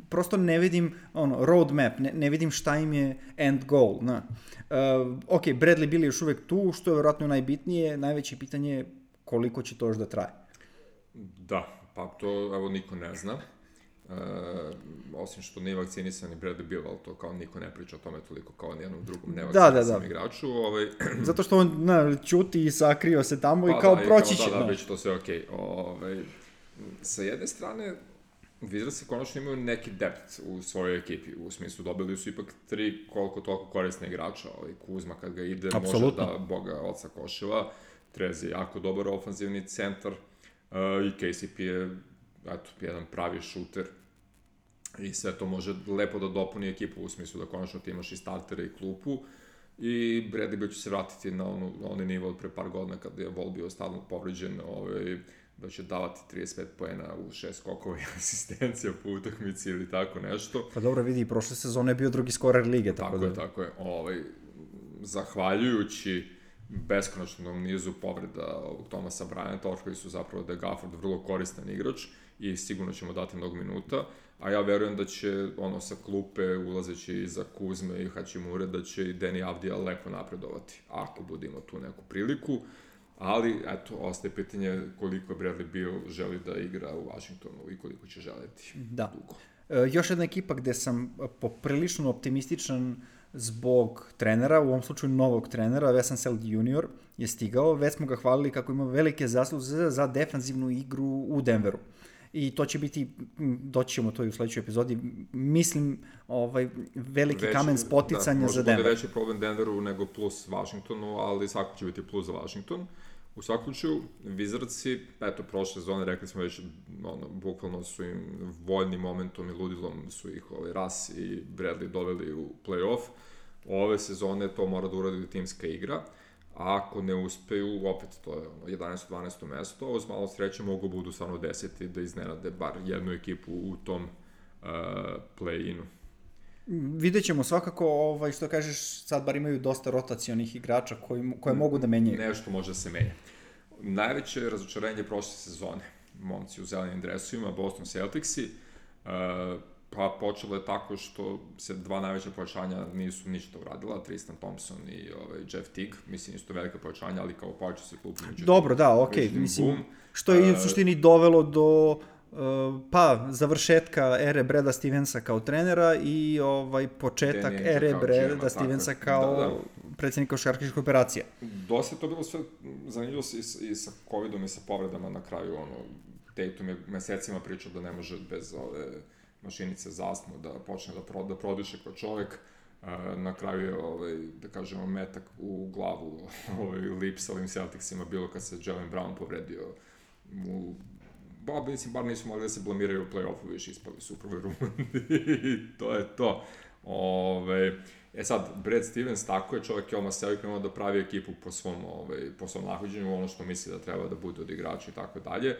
prosto ne vidim ono, roadmap, ne, ne vidim šta im je end goal. Na. Uh, ok, Bradley Beal je još uvek tu, što je vjerojatno najbitnije, najveće pitanje je koliko će to još da traje. Da, pa to evo niko ne zna. E, osim što nije vakcinisan i Bradley Beal, ali to kao niko ne priča o tome toliko kao nijednom drugom nevakcinisanom da, da, da. igraču. Ovaj... Zato što on na, ćuti i sakrio se tamo pa, i kao da, proći će. Da, da, da, već to sve okej. Okay. Ovaj, sa jedne strane, vidio se konačno imaju neki depth u svojoj ekipi, u smislu dobili su ipak tri koliko toliko korisne igrača, ovaj Kuzma kad ga ide Absolutno. može da boga oca koševa, Trez je jako dobar ofanzivni centar uh, i K C P je eto, jedan pravi šuter i sve to može lepo da dopuni ekipu u smislu da konačno ti imaš i startere i klupu i Bradley Beal će se vratiti na, onu, na onaj nivo od pre par godina kada je Vol bio stalno povređen, ovaj, da će davati trideset pet poena u šest skokova i asistencija po utakmici ili tako nešto. Pa dobro, vidi, prošle sezone je bio drugi skorer lige. Tako, tako je, da... tako je. Ovaj, zahvaljujući beskonačnom nizu povreda ovog Thomasa Bryanta, koji su zapravo da je Gafford vrlo koristan igrač i sigurno ćemo dati mnogo minuta, a ja verujem da će ono sa klupe ulazeći iza Kuzme i Hachimure, da će i Deni Avdija lepo napredovati, ako budemo tu neku priliku, ali eto, ostaje pitanje koliko je Bradley Beal želi da igra u Washingtonu i koliko će želeti da. dugo. E, još jedna ekipa gde sam poprilično optimističan zbog trenera, u ovom slučaju novog trenera, Wes Unseld junior je stigao, već smo ga hvalili kako ima velike zasluze za defanzivnu igru u Denveru. I to će biti, doći ćemo to i u sledećoj epizodi, mislim, ovaj, veliki veći, kamen spoticanja da, za Denver. Može bude veći problem Denveru nego plus Washingtonu, ali svako će biti plus za Washington. U svakom slučaju, Wizardsi, eto, prošle sezone, rekli smo već, ono, bukvalno su im voljnim momentom i ludilom su ih ovaj, Russ i Bradley doveli u play-off. Ove sezone to mora da uradi timska igra. A ako ne uspeju, opet to je ono, jedanaesto dvanaesto mesto, uz malo sreće mogu budu stvarno deseti da iznenade bar jednu ekipu u tom uh, play-inu. Vidjet ćemo svakako, ovaj, što kažeš, sad bar imaju dosta rotacionih igrača koji, koje mogu da menjaju. Nešto može da se menja. Najveće razočarenje prošle sezone, momci u zelenim dresovima, Boston Celticsi, uh, pa počelo je tako što se dva najveća pojačanja nisu ništa uradila, Tristan Thompson i ovaj, Jeff Teague, mislim nisu to velika pojačanja, ali kao pojača se klub. Dobro, da, okej, okay. mislim, boom. Što je u suštini dovelo do uh, pa, završetka ere Brada Stevensa kao trenera i ovaj početak Danny ere Brada Stevensa kao da, da. predsjednika košarkaških operacija. Dosta je to bilo sve zanimljivo i, i sa covidom i sa povredama na kraju, ono, Tatum je mesecima pričao da ne može bez ove mašinice za astmu da počne da, pro, da prodiše kao čovek. Na kraju je, ovaj, da kažemo, metak u glavu ovaj, lip sa ovim Celticsima bilo kad se Jaylen Brown povredio u... Ba, mislim, bar nisu mogli da se blamiraju u play-offu, više ispali su u prvoj rundi i to je to. Ove, e sad, Brad Stevens, tako je, čovjek je odmah sebi krenuo da pravi ekipu po svom, ovaj, po svom nahođenju, ono što misli da treba da bude od igrača i tako dalje.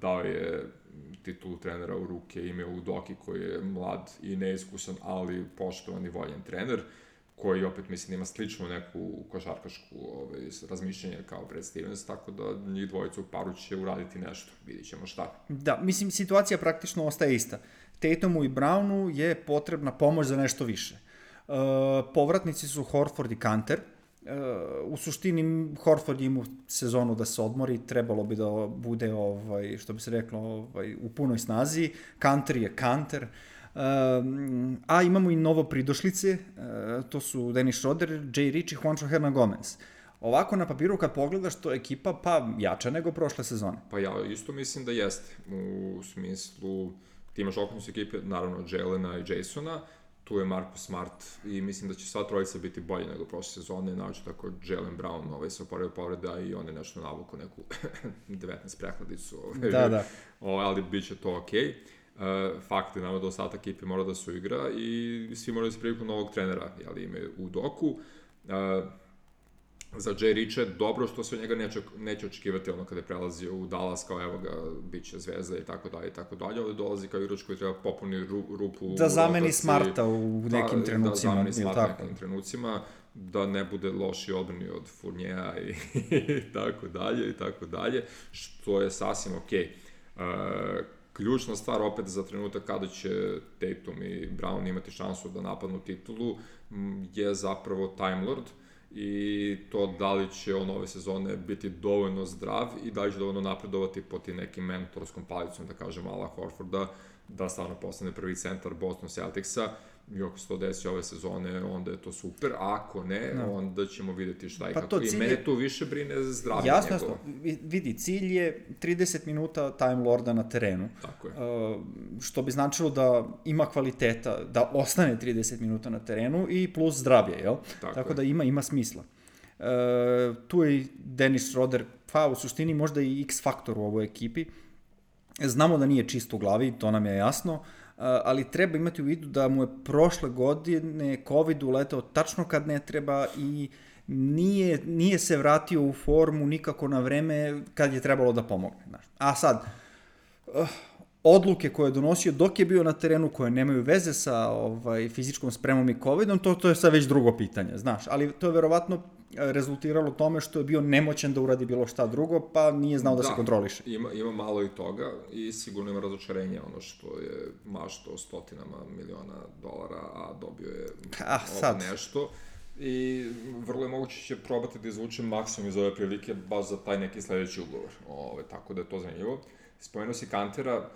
Dao je titulu trenera u ruke ime Udoki, koji je mlad i neiskusan, ali poštovan i voljen trener, koji opet, mislim, ima sličnu neku košarkašku ovaj, razmišljenje kao Brad Stevens, tako da njih dvojica u paru će uraditi nešto, vidit ćemo šta. Da, mislim, situacija praktično ostaje ista. Tatumu i Brownu je potrebna pomoć za nešto više. Uh, povratnici su Horford i Kanter. Uh, u suštini Horford ima sezonu da se odmori, trebalo bi da bude, ovaj, što bi se reklo, ovaj, u punoj snazi. Kanter je Kanter. Uh, a imamo i novo pridošlice, uh, to su Dennis Schroeder, Jay Rich i Juancho Hernan Gomez. Ovako na papiru kad pogledaš, to je ekipa pa jača nego prošle sezone. Pa ja isto mislim da jeste, u smislu ti imaš okrenus ekipe, naravno Jaylena i Jasona, tu je Marcus Smart i mislim da će sva trojica biti bolje nego prošle sezone, naoče tako Jaylen Brown ovaj, se oporavio povreda i on je nešto navuku neku devetnaest prehladicu, ovaj, da, da. Ovaj, ali bit će to okej. Okay. Uh, fakt je nama da ostatak ekipe mora da se uigra i svi moraju da se priviku novog trenera, jel imaju u doku. Uh, za Jay Rich je dobro što se od njega neće, neće očekivati ono kada je prelazio u Dallas kao evo ga, bit će zvezda i tako dalje i tako dalje, ovdje dolazi kao igrač koji treba popuni ru, rupu da zameni Smarta u nekim da, trenucima. Da zameni Smarta u nekim trenucima, da ne bude loši odbrani od Fournija i, i tako dalje i tako dalje, što je sasvim okej. Okay. Uh, Ključna stvar opet za trenutak kada će Tatum i Brown imati šansu da napadnu titulu je zapravo Time Lord i to da li će on ove sezone biti dovoljno zdrav i da li će dovoljno napredovati po ti nekim mentorskom palicom, da kažem, ala Horforda, da stvarno postane prvi centar Boston Celticsa i ako se to desi ove sezone, onda je to super, a ako ne, no. onda ćemo videti šta i pa kako. I mene je... tu više brine zdravlje jasno, njegovo. Jasno, vidi, cilj je trideset minuta Time Lorda na terenu. Tako je. Uh, što bi značilo da ima kvaliteta, da ostane trideset minuta na terenu i plus zdravlje, jel? Tako, Tako da ima, ima smisla. Uh, tu je Dennis Schroeder, pa u suštini možda i X faktor u ovoj ekipi. Znamo da nije čist u glavi, to nam je jasno, ali treba imati u vidu da mu je prošle godine COVID uletao tačno kad ne treba i nije, nije se vratio u formu nikako na vreme kad je trebalo da pomogne. A sad, odluke koje je donosio dok je bio na terenu, koje nemaju veze sa ovaj, fizičkom spremom i covidom, to, to je sad već drugo pitanje, znaš, ali to je verovatno rezultiralo tome što je bio nemoćan da uradi bilo šta drugo, pa nije znao da, da se kontroliše. Ima, ima malo i toga i sigurno ima razočarenje, ono što je mašto stotinama miliona dolara, a dobio je a, sad. nešto. I vrlo je moguće će probati da izvuče maksimum iz ove prilike baš za taj neki sledeći ugovor. Ove, tako da je to zanimljivo. Spomenuo si Kantera,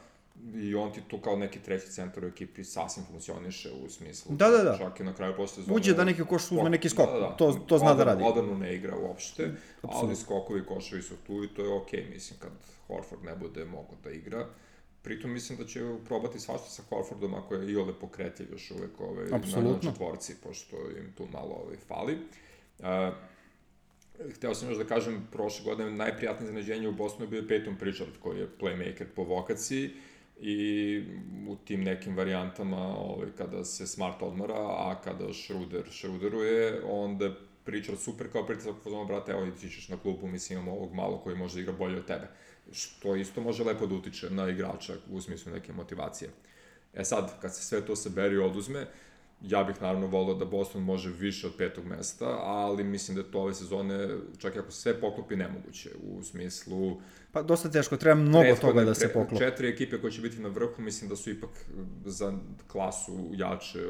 i on ti tu kao neki treći centar u ekipi sasvim funkcioniše u smislu. Da, da, da. Čak i na kraju posle sezone. Uđe da neki koš uzme neki skok, da, da, da. To, to zna Odar, da radi. Odbranu ne igra uopšte, Absolutno. ali skokovi koševi su tu i to je okej, okay, mislim, kad Horford ne bude mogao da igra. Pritom mislim da će probati svašta sa Horfordom ako je iole pokretljiv još uvek ovaj, na četvorci, pošto im tu malo ovaj, fali. Uh, Hteo sam još da kažem, prošle godine najprijatnije iznenađenje u Bostonu je bio Peyton Pritchard, koji je playmaker po vokaciji i u tim nekim varijantama, ovaj, kada se Smart odmara, a kada Schroeder Schroederuje, onda Pritchard super kao pritisak u fazonu, brate, evo ti ćeš na klupu, mislim imamo ovog malo koji može da igra bolje od tebe. Što isto može lepo da utiče na igrača u smislu neke motivacije. E sad, kad se sve to saberi i oduzme, ja bih naravno volio da Boston može više od petog mesta, ali mislim da je to ove sezone, čak i ako se sve poklopi, nemoguće. U smislu... Pa dosta teško, treba mnogo toga da se poklopi. Četiri ekipe koje će biti na vrhu, mislim da su ipak za klasu jače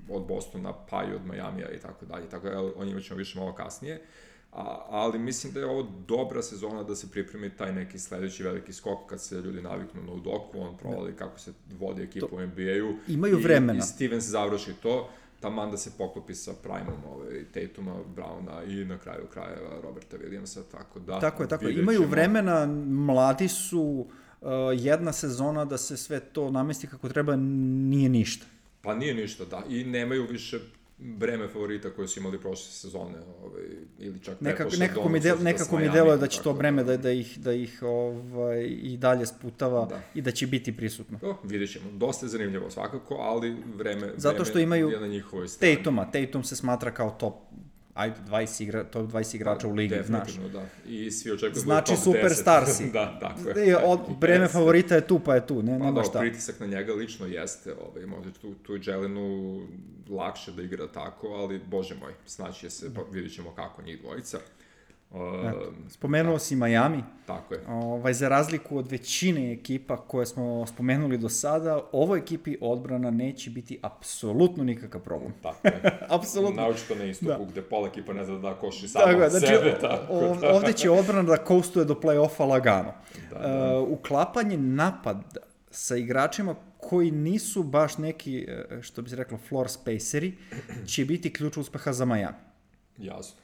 od Bostona, pa i od Majamija i tako dalje. Tako da o njima ćemo više malo kasnije. A, ali mislim da je ovo dobra sezona da se pripremi taj neki sledeći veliki skok kad se ljudi naviknu na Udoku, on provali kako se vodi ekipu to, u N B A-u. Imaju i, vremena. I Stevens završi to, taman da se poklopi sa Primom, ovaj, Tatuma, Browna i na kraju krajeva Roberta Williamsa, tako da... Tako je, tako je. Imaju vremena, mladi su, uh, jedna sezona da se sve to namesti kako treba nije ništa. Pa nije ništa, da. I nemaju više breme favorita koje su imali prošle sezone, ovaj, ili čak nekako, nekako mi del, nekako mi deluje da će to breme da, da ih, da ih ovaj, i dalje sputava da. I da će biti prisutno. To, vidjet ćemo. Dosta je zanimljivo svakako, ali vreme, zato što imaju je na njihovoj strani. Tatuma. Tatum se smatra kao top ajde, dvadeset igra, top dvadeset igrača da, u ligi, znaš. Definitivno, da. I svi očekuju znači, top superstar si. Da, tako je. Od, breme favorita je tu, pa je tu, ne, nema pa, šta. Pa da, pritisak na njega lično jeste, ovaj, možda tu, tu Jelenu lakše da igra tako, ali, bože moj, snaći je se, pa vidit ćemo kako njih dvojica. Uh, Spomenuo si Miami. Tako je. Ovaj, za razliku od većine ekipa koje smo spomenuli do sada, ovoj ekipi odbrana neće biti apsolutno nikakav problem. Tako je. Apsolutno. Naučito na istoku, da. Gde pola ekipa ne zna da koši samo od znači, sebe. Tako da. Ovde će odbrana da coastuje do play-offa lagano. Da, da. Uh, uklapanje napada sa igračima koji nisu baš neki, što bi se reklo, floor spaceri, će biti ključ uspeha za Miami. Jasno.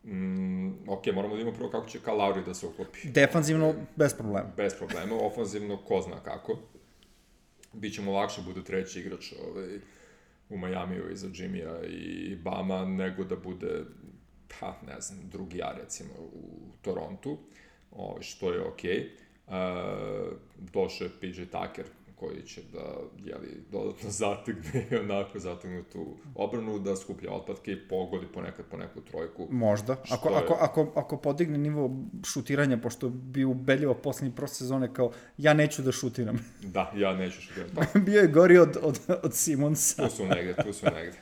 Mm, ok, moramo da imamo prvo kako će Kyle Lowry da se uklopi. Defanzivno, bez problema. Bez problema, ofanzivno, ko zna kako. Biće mu lakše bude treći igrač ovaj, u Majamiju iza Jimmya i Bama, nego da bude, pa ne znam, drugi ja recimo u Torontu, ovaj, što je ok. Uh, došao je P J Tucker, koji će da, jeli, dodatno zategne i onako zategnutu obranu, da skuplja otpadke i pogodi ponekad po neku trojku. Možda. Ako, je... ako, ako, ako podigne nivo šutiranja, pošto bi ubedljivo poslednji prošle sezone kao ja neću da šutiram. Da, ja neću šutiram. Pa. Bio je gori od, od, od Simonsa. Tu su negde, tu su negde.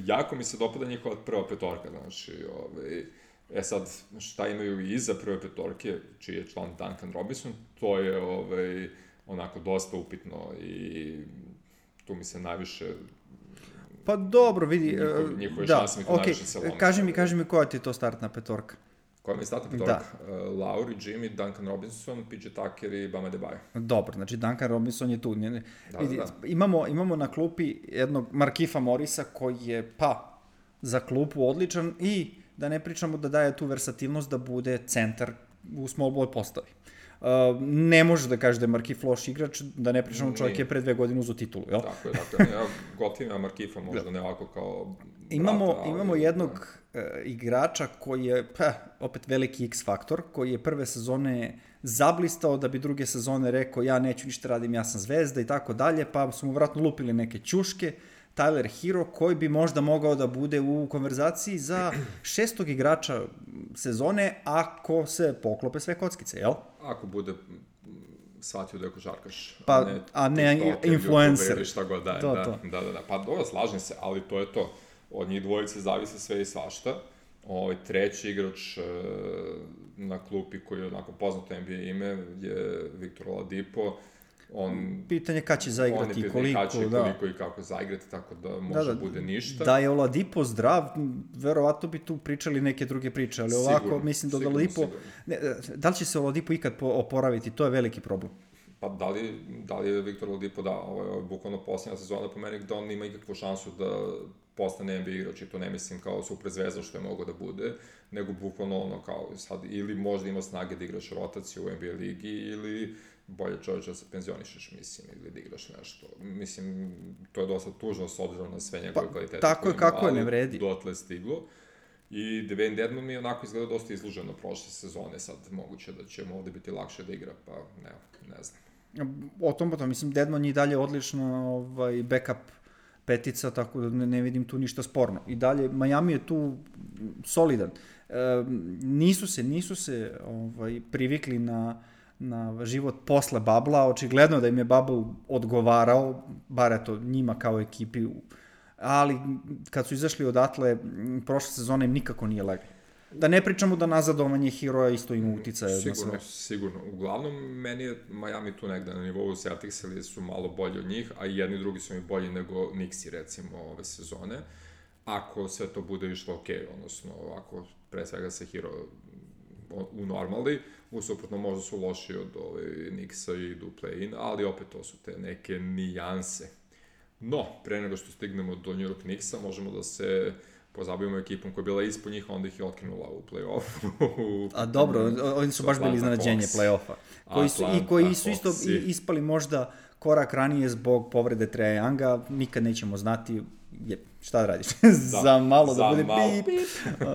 Jako mi se dopada njihova prva petorka, znači, ovaj, e sad, šta imaju i iza prve petorke, čiji je član Duncan Robinson, to je, ovaj, onako dosta upitno i tu mi se najviše... Pa dobro, vidi... Njihove, njihove da, šanse mi tu okay. najviše se lome. Kaži mi, kaži mi koja ti je to startna petorka? Koja mi je startna petorka? Da. Uh, Lowry, Jimmy, Duncan Robinson, P J Tucker i Bam Adebayo. Dobro, znači Duncan Robinson je tu. Ne, da, vidi, da, da. Imamo, imamo na klupi jednog Markifa Morisa koji je, pa, za klupu odličan i da ne pričamo da daje tu versatilnost da bude centar u small ball postavi. Uh, ne može da kaže da je Markif loš igrač, da ne pričamo čovjek je pre dve godine uzo titulu, jel? Tako je, tako je. Ja gotivim Markifa možda da. Ne ovako kao imamo, brata, ali... Imamo jednog uh, igrača koji je, pa, opet veliki X faktor, koji je prve sezone zablistao da bi druge sezone rekao ja neću ništa radim, ja sam zvezda i tako dalje, pa su mu vratno lupili neke ćuške. Tyler Hero, koji bi možda mogao da bude u konverzaciji za šestog igrača sezone ako se poklope sve kockice, jel? Ako bude shvatio da je košarkaš, pa, a ne, a ne influencer. Ili šta god daje. To, da, to. da, da, da. Pa dobro, slažem se, ali to je to. Od njih dvojice zavise sve i svašta. Ovaj treći igrač e, na klupi koji je onako poznato N B A ime je Victor Oladipo. On, pitanje kada će zaigrati i koliko, kad će, da. Koliko i kako zaigrati, tako da može da, da, bude ništa. Da je Oladipo zdrav, verovatno bi tu pričali neke druge priče, ali ovako sigurno, mislim da sigurno, Oladipo... Ne, da li će se Oladipo ikad oporaviti, to je veliki problem. Pa da li, da li je Viktor Oladipo, da, ovo je bukvalno posljednja sezona po meni gde on nema ikakvu šansu da postane N B A igrač, i to ne mislim kao super zvezda što je mogo da bude, nego bukvalno ono kao sad, ili možda ima snage da igraš rotaciju u N B A ligi, ili bolje čovječe da se penzionišeš, mislim, ili da igraš nešto. Mislim, to je dosta tužno s obzirom na sve njegove pa, kvalitete. Tako je, kako je, ne vredi. Dotle stiglo. I Dwayne Dedmon mi je onako izgleda dosta izluženo prošle sezone, sad moguće da će mu ovde biti lakše da igra, pa ne, ne znam. O tom potom, mislim, Dedmon je i dalje odlična ovaj, backup petica, tako da ne, ne vidim tu ništa sporno. I dalje, Miami je tu solidan. E, nisu se, nisu se ovaj, privikli na, na život posle Babla, očigledno da im je Bubble odgovarao, bar eto njima kao ekipi, ali kad su izašli odatle, prošle sezone im nikako nije leglo. Da ne pričamo da nazadovanje heroja isto ima uticaja na sve. Sigurno, sigurno. Uglavnom, meni je Miami tu negde na nivou Celtics, ili su malo bolji od njih, a i jedni i drugi su mi bolji nego Knicksi, recimo, ove sezone. Ako sve to bude išlo ok, odnosno, ako pre svega se hero u normali, usuprotno možda su loši od ove Knicksa i idu play-in, ali opet to su te neke nijanse. No, pre nego što stignemo do New York Knicksa, možemo da se pozabavimo ekipom koja je bila ispod njih, onda ih je otkinula u play-offu. A dobro, oni su baš bili iznenađenje play-offa. Koji su, I koji su isto ispali možda korak ranije zbog povrede Treja Younga, nikad nećemo znati, je, šta da radiš, za malo da bude pip. Pip. uh,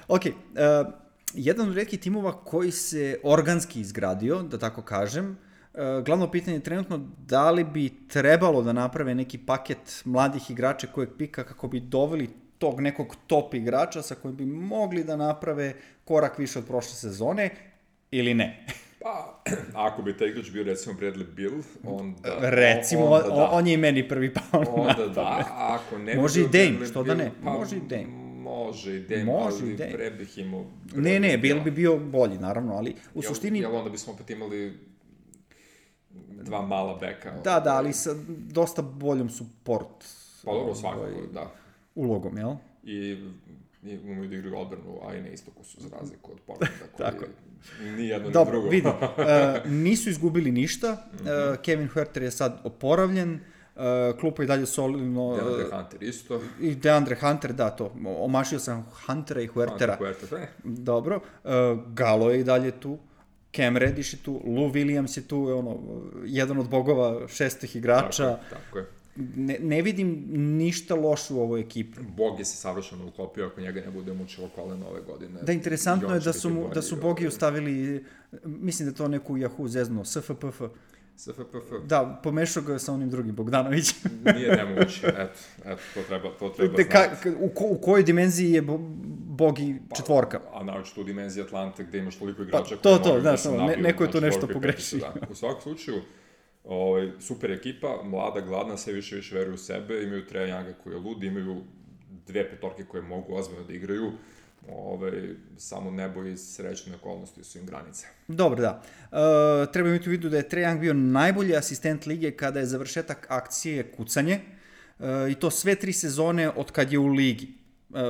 ok, uh, jedan od retkih timova koji se organski izgradio, da tako kažem, Uh, glavno pitanje je trenutno da li bi trebalo da naprave neki paket mladih igrača kojeg pika kako bi doveli tog nekog top igrača sa kojim bi mogli da naprave korak više od prošle sezone ili ne. Pa, ako bi taj igrač bio recimo Bradley Beal, onda... Recimo, onda on, da. on je i meni prvi pao na Onda pamet. da, ako ne bi može bio i Dame, Bradley što da Beal, ne, pa, može i Dame. Može i Dame, može ali i Dame. pre bih imao... Ne, ne, Beal bi bio bolji, naravno, ali u jel, suštini... Jel onda bismo opet imali dva mala beka? Da, da, ali sa dosta boljom support. Pa dobro, svakako, da. Ulogom, jel? I i umiju da igraju odbranu, a i na istoku su za razliku od Portlanda, koji ni jedno ni drugo. Dobro, vidi, uh, nisu izgubili ništa, uh, Kevin Huerter je sad oporavljen, uh, klupa i dalje solidno... Uh, DeAndre Hunter isto. I DeAndre Hunter, da, to, omašio sam Huntera i Huertera. Hunter, Huerter, dobro, uh, Galo je i dalje tu, Cam Reddish je tu, Lou Williams je tu, ono, jedan od bogova šestih igrača. Tako je, tako je. Ne, ne vidim ništa loše u ovoj ekipi. Bog je se savršeno uklopio, ako njega ne bude mučilo koleno ove godine. Da, interesantno je da su, mu, da su Bogi ostavili, mislim da to neku Yahoo zeznuo, S F P F. S F P F. Da, pomešao ga sa onim drugim, Bogdanovićem. Nije nemoguće, eto, eto, to treba, to treba znati. Ka, u, ko, u kojoj dimenziji je Bogi četvorka? Pa, a naočito u dimenziji Atlante gde imaš toliko igrača pa, to, koji to, mogu da, da se nabiju. Ne, neko je to znači, nešto pogrešio. Da. U svakom slučaju, Ovaj, super ekipa, mlada, gladna, sve više više veruju u sebe, imaju Treja Younga koji je lud, imaju dve petorke koje mogu ozbiljno da igraju, ovaj, samo nebo i srećne okolnosti su im granice. Dobro, da. E, treba imati u vidu da je Trae Young bio najbolji asistent lige kada je završetak akcije kucanje, e, i to sve tri sezone od kad je u ligi. E,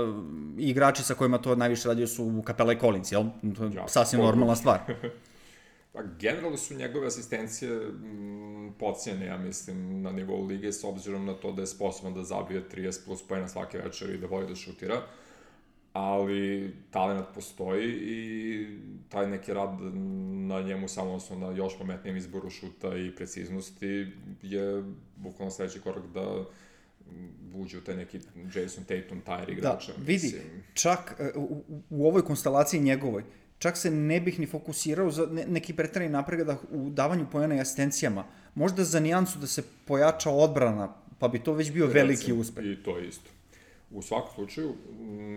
igrači sa kojima to najviše radio su Capela i Collins, jel? To je ja, sasvim normalna stvar. Pa, generalno su njegove asistencije m, podcijene, ja mislim, na nivou lige, s obzirom na to da je sposoban da zabije trideset plus poena svake večeri i da voli da šutira, ali talent postoji i taj neki rad na njemu, samo odnosno na još pametnijem izboru šuta i preciznosti, je bukvalno sledeći korak da uđe u taj neki Jason Tatum Tyre igrača. Da, vidi, mislim. Čak u, u ovoj konstelaciji njegovoj, čak se ne bih ni fokusirao za neki preterani napredak u davanju poena i asistencijama. Možda za nijansu da se pojača odbrana, pa bi to već bio Recim, veliki uspeh. I to isto. U svakom slučaju,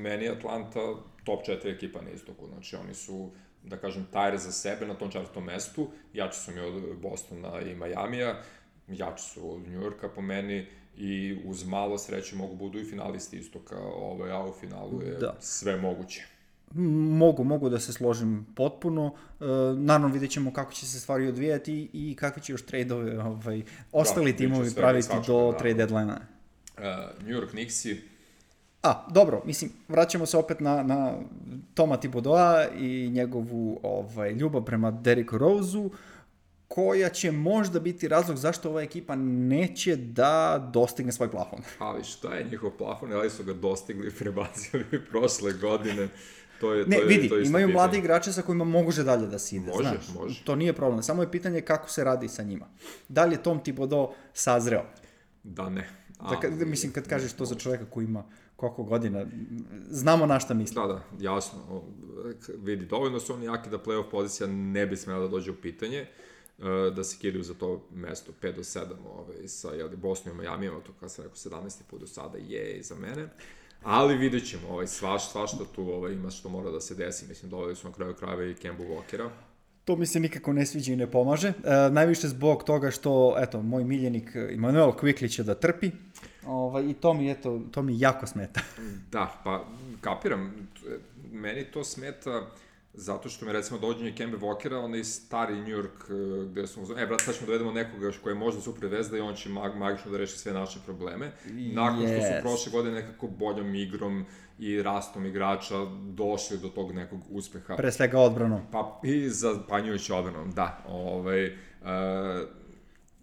meni je Atlanta top četiri ekipa na istoku. Znači, oni su, da kažem, Tyre za sebe na tom četvrtom mestu. Jači su mi od Bostona i Majamija, jači su od New Yorka po meni i uz malo sreće mogu budu i finalisti istoka, ovaj, a u finalu je da. Sve moguće. Mogu, mogu da se složim potpuno. E, naravno, vidjet ćemo kako će se stvari odvijati i kakvi će još trade-ove ovaj, ostali da, timovi praviti do da. Trade deadline-a. Uh, New York Knicksi. A, dobro, mislim, vraćamo se opet na, na Toma Thibodeau i njegovu ovaj, ljubav prema Derricku Roseu, koja će možda biti razlog zašto ova ekipa neće da dostigne svoj plafon. Ali šta je njihov plafon, ali su ga dostigli i prebacili prošle godine. To je, ne, to je, vidi, to je imaju pitanje. mladi igrače sa kojima može dalje da se ide, može, znaš. Može. To nije problem, samo je pitanje kako se radi sa njima. Da li je Tom Thibodeau sazreo? Da ne. Ali, da, mislim, kad kažeš to za čovjeka koji ima koliko godina, znamo na šta misli. Da, da, jasno. Vidi, dovoljno su oni jaki da playoff pozicija ne bi smela da dođe u pitanje, da se kidaju za to mesto pet do sedam ovaj, sa jeli, Bosnom i Majamijom, to kada sam rekao sedamnaesti put do sada je za mene. Ali vidjet ćemo, ovaj, svaš, svašta tu ovaj, ima što mora da se desi. Mislim, doveli su na kraju krajeva i Kembu Walkera. To mi se nikako ne sviđa i ne pomaže. E, najviše zbog toga što, eto, moj miljenik Immanuel Quickley će da trpi. Ovaj, I to mi, eto, to mi jako smeta. Da, pa kapiram. Meni to smeta zato što mi recimo dođenje Kembe Walkera, onaj stari New York gde smo, e brat, sad ćemo dovedemo nekoga koji je možda super vezda i on će mag, magično da reši sve naše probleme. Nakon yes. što su prošle godine nekako boljom igrom i rastom igrača došli do tog nekog uspeha. Pre svega odbranom. Pa i zapanjujući odbranom, da. Ovaj, e,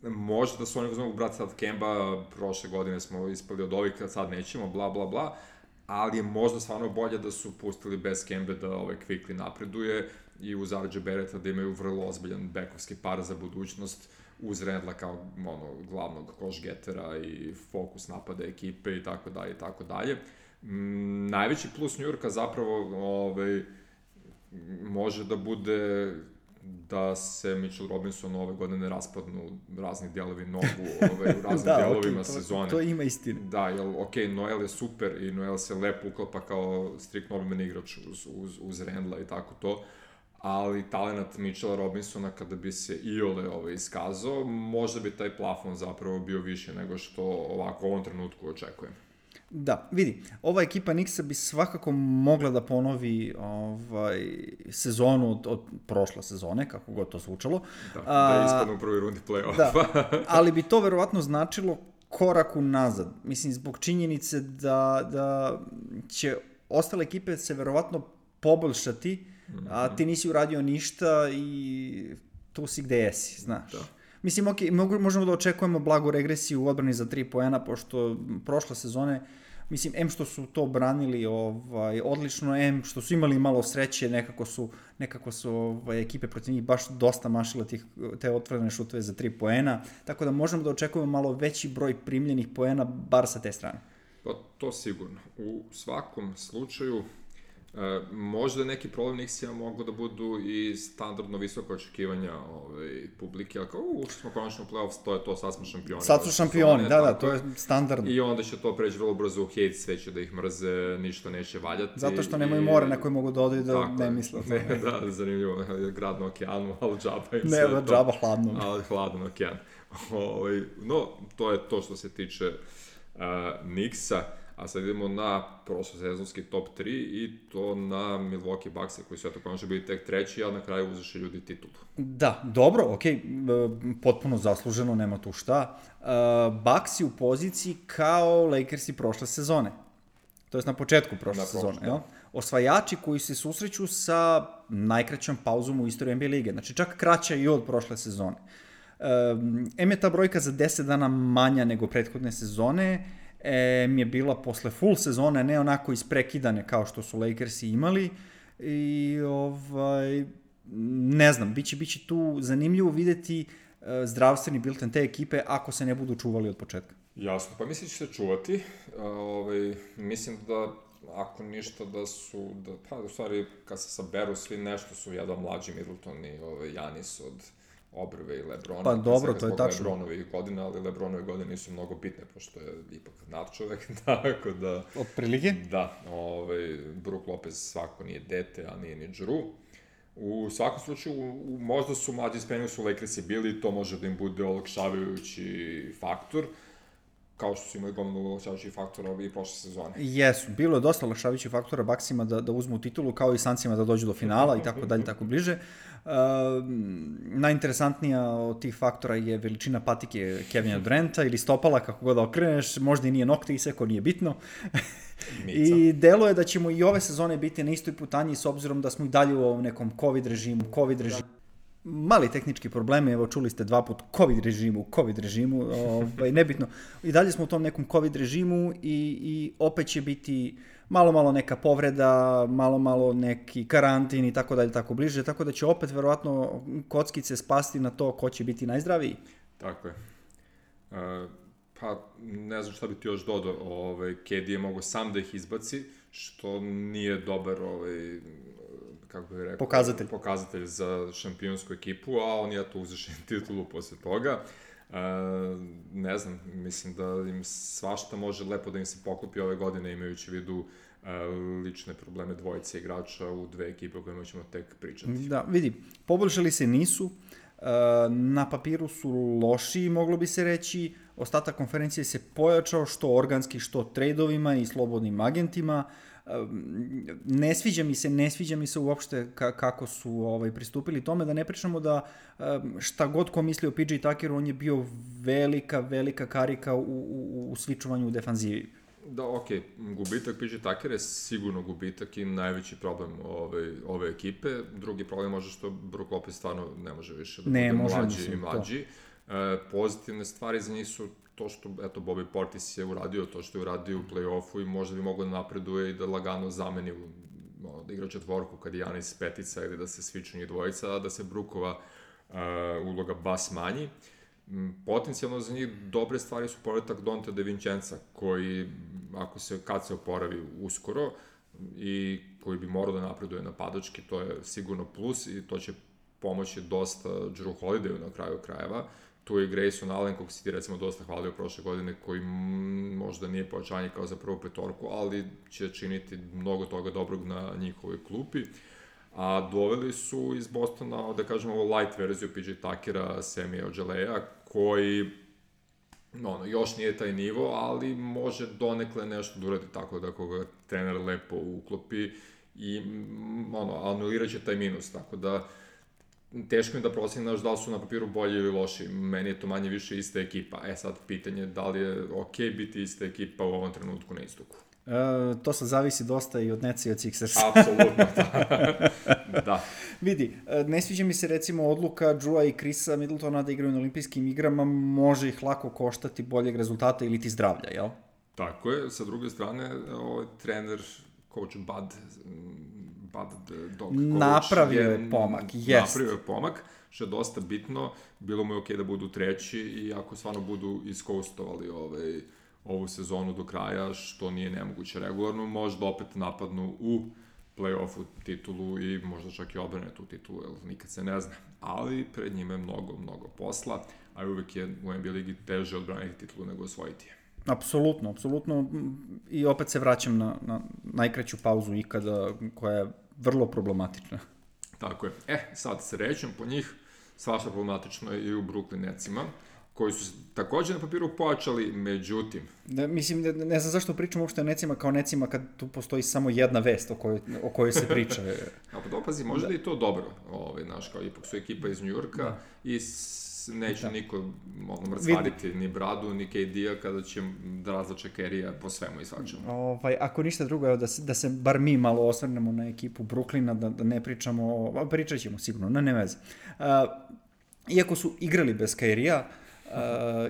možda da su oni uzmano brat sad Kemba, prošle godine smo ispali od ovih, sad nećemo, bla bla bla. Ali je možda stvarno bolje da su pustili bez Kembe da ovaj Quickley napreduje i uz R J Barretta da imaju vrlo ozbiljan bekovski par za budućnost uz Randla kao ono, glavnog koš-getera i fokus napada ekipe i tako dalje i tako dalje. Mm, najveći plus New Yorka zapravo ovaj, može da bude da se Mitchell Robinson ove godine ne raspadnu razni delovi nogu ovaj, u raznim da, delovima okay, to, sezone. To ima istine. Da, jer, ok, Noel je super i Noel se lepo uklapa kao strikt normalni igrač uz, uz, uz Randla i tako to, ali talenat Mitchella Robinsona kada bi se iole ovaj, iskazao, možda bi taj plafon zapravo bio više nego što ovako u ovom trenutku očekujem. Da, vidi, ova ekipa Knicksa bi svakako mogla da ponovi ovaj, sezonu od, od prošle sezone, kako god to zvučalo. Da, da ispadne u prvoj rundi play-offa. Da, ali bi to verovatno značilo korak unazad. Mislim, zbog činjenice da, da će ostale ekipe se verovatno poboljšati, mm-hmm. a ti nisi uradio ništa i tu si gde jesi, znaš. Da. Mislim, ok, možemo da očekujemo blagu regresiju u odbrani za tri poena, pošto prošle sezone, mislim, em što su to branili ovaj, odlično, em što su imali malo sreće, nekako su, nekako su ovaj, ekipe protiv njih baš dosta mašile tih, te otvorene šutove za tri poena, tako da možemo da očekujemo malo veći broj primljenih poena, bar sa te strane. Pa to sigurno. U svakom slučaju, E, možda neki problem Knicksima mogu da budu i standardno visoke očekivanja ovaj, publike, ali kao, u, ušli smo konačno u playoffs, to je to, sad smo šampioni. Sad su šampioni, da, da, to je standardno. I onda će to preći vrlo brzo u hate, sve će da ih mrze, ništa neće valjati. Zato što nemaju more na koje mogu da odaju da ne misle. Ne, da, zanimljivo, grad na okeanu, ali džaba im ne, sve to. Ne, džaba hladno. Ali hladan okean. Ovaj, no, to je to što se tiče uh, Knicksa. A sad idemo na prošlosezonski top tri i to na Milwaukee Buckse koji su eto konačno bili tek treći, a na kraju uzeše ljudi titulu. Da, dobro, okej, okay, potpuno zasluženo, nema tu šta. Uh, Bucks u poziciji kao Lakersi prošle sezone. To je na početku prošle na sezone. Jel? Osvajači koji se susreću sa najkraćom pauzom u istoriji N B A lige. Znači čak kraća i od prošle sezone. Um, em je ta brojka za deset dana manja nego prethodne sezone, E, mi je bila posle full sezone, ne onako isprekidane kao što su Lakersi imali i ovaj, ne znam, biće, biće tu zanimljivo videti uh, zdravstveni bilten te ekipe ako se ne budu čuvali od početka. Jasno, pa mislim će se čuvati, uh, ovaj, mislim da ako ništa da su, da, pa u stvari kad se saberu svi nešto su jedan mlađi Middleton i ovaj, Janis od Obrve i Lebrona. Pa dobro, to je tačno. Lebronovi godine, ali Lebronove godine nisu mnogo bitne, pošto je ipak nadčovek, tako da... Od prilike? Da, ovaj, Brook Lopez svako nije dete, a nije ni Drew. U svakom slučaju, u, možda su mlađi spremni su Lakersi bili, to može da im bude olakšavajući faktor, kao što su imali gomilu olakšavajući faktora i prošle sezone. Jesu, bilo je dosta olakšavajućih faktora Bucksima da, da uzmu titulu, kao i Sunsima da dođu do finala i tako dalje, tako bliže. Uh, najinteresantnija od tih faktora je veličina patike Kevina Duranta ili stopala, kako god da okreneš, možda i nije nokte isekao, nije bitno. I delo je da ćemo i ove sezone biti na istoj putanji s obzirom da smo i dalje u ovom nekom COVID režimu, COVID režimu. mali tehnički problemi, evo čuli ste dva put COVID režimu, COVID režimu, ovaj, nebitno. I dalje smo u tom nekom COVID režimu i, i opet će biti malo, malo neka povreda, malo, malo neki karantin i tako dalje, tako bliže, tako da će opet verovatno kockice spasti na to ko će biti najzdraviji. Tako je. Uh, pa ne znam šta bi ti još dodao, ovaj, K D je mogo sam da ih izbaci, što nije dobar ovaj, kako bih rekao, pokazatelj. pokazatelj za šampionsku ekipu, a on je to uzešen titulu posle toga. Uh, ne znam, mislim da im svašta može lepo da im se poklopi ove godine, imajući vidu uh, lične probleme dvojice igrača u dve ekipe o kojima ćemo tek pričati. Da, vidi, poboljšali se nisu, uh, na papiru su loši, moglo bi se reći, ostatak konferencije se pojačao što organski, što trejdovima i slobodnim agentima. Ne sviđa mi se, ne sviđa mi se uopšte kako su ovaj, pristupili tome, da ne pričamo da šta god ko misli o P J Tuckeru, on je bio velika, velika karika u, u, u svičovanju u defanzivi. Da, okej, okay. Gubitak P J Tucker je sigurno gubitak i najveći problem ove, ove ekipe. Drugi problem može što Brook Lopez stvarno ne može više da ne, bude može, mlađi mislim, i mlađi. E, pozitivne stvari za njih su to što, eto, Bobby Portis je uradio, to što je uradio u play-offu i možda bi mogao da napreduje i da lagano zameni, no, da igra četvorku kad je Janis petica ili da se sviču njih dvojica, a da se Brookova uh, uloga bas manji. Potencijalno za njih dobre stvari su povratak Donte DiVincenza, koji, ako se, kad se oporavi uskoro, i koji bi morao da napreduje napadački, to je sigurno plus i to će pomoći dosta Jrue Holidayu na kraju krajeva. Tu je Grayson Allen, kog si ti recimo dosta hvalio prošle godine, koji možda nije pojačanje kao za prvu petorku, ali će činiti mnogo toga dobrog na njihovoj klupi. A doveli su iz Bostona, da kažemo, light verziju P J Tuckera, Semija Ojeleye, koji no, još nije taj nivo, ali može donekle nešto da uradi tako da koga trener lepo uklopi i ono, anulirat će taj minus, tako da teško mi da procjenaš da li su na papiru bolji ili loši. Meni je to manje više ista ekipa. E sad, pitanje je da li je ok biti ista ekipa u ovom trenutku na istoku. E, to sad zavisi dosta i od Netsa i od Sixersa. Apsolutno, da. da. Vidi, ne sviđa mi se recimo odluka Drewa i Chrisa Middletona da igraju na olimpijskim igrama, može ih lako koštati boljeg rezultata ili ti zdravlja, jel? Tako je. Sa druge strane, ovaj trener, coach Bud, Bud Dog Coach napravio je pomak, jest. Napravio je pomak, što je dosta bitno. Bilo mu je okej da budu treći i ako stvarno budu iskoustovali ovaj, ovu sezonu do kraja, što nije nemoguće regularno, možda opet napadnu u play-offu titulu i možda čak i obrane tu titulu, jer nikad se ne zna. Ali pred njima je mnogo, mnogo posla, a uvek je u N B A ligi teže odbraniti titulu nego osvojiti je. Apsolutno, apsolutno. I opet se vraćam na, na najkraću pauzu ikada, koja je vrlo problematična. Tako je. E, sad srećem po njih, svašta problematično je i u Brooklyn Netsima, koji su takođe na papiru pojačali, međutim... Da, mislim, ne, ne znam zašto pričam uopšte o Netsima kao Netsima kad tu postoji samo jedna vest o kojoj, o kojoj se priča. A pa dopazi, možda da. I to dobro, ovaj, znaš, kao ipak su ekipa iz Njujorka da. I s, neće da. Niko ono, mrcvariti ni Bradu, ni K D-a kada će da razlače Kerija po svemu i svačemu. Ovaj, ako ništa drugo, evo, da, se, da se bar mi malo osvrnemo na ekipu Brooklyna, da, da ne pričamo, o, pričat ćemo sigurno, ne, ne veze. Uh, iako su igrali bez Kerija, Uh,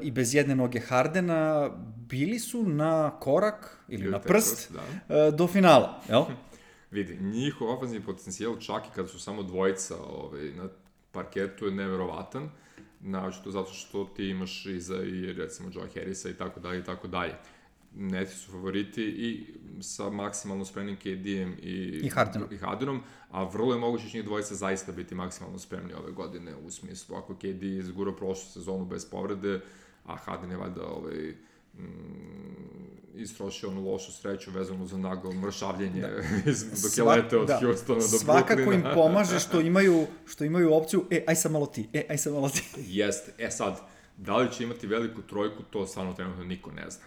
i bez jedne noge Hardena, bili su na korak ili Bili na prst da. uh, do finala, jel? Vidi, njihov ofenzivni potencijal čak i kada su samo dvojica ovaj, na parketu je neverovatan, naočito zato što ti imaš iza i recimo Joe Harrisa i tako dalje i tako dalje. Neti su favoriti i sa maksimalno spremnim K D-em i, I, Hardenom. i Hardenom, a vrlo je moguće će njih dvojica zaista biti maksimalno spremni ove godine, u smislu ako K D izgura prošlu sezonu bez povrede, a Harden je valjda ovaj, mm, istrošio onu lošu sreću vezanu za naglo mršavljenje da. dok je leteo od da. Houstona do Brooklyna. Svakako im pomaže što imaju, što imaju opciju, e, aj sam malo ti, e, aj sam malo ti. Jeste, e sad, da li će imati veliku trojku, to stvarno trenutno niko ne zna.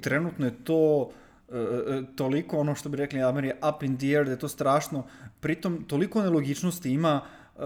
Trenutno je to uh, toliko, ono što bi rekli Ameri, up in the air, da je to strašno. Pritom, toliko nelogičnosti ima uh,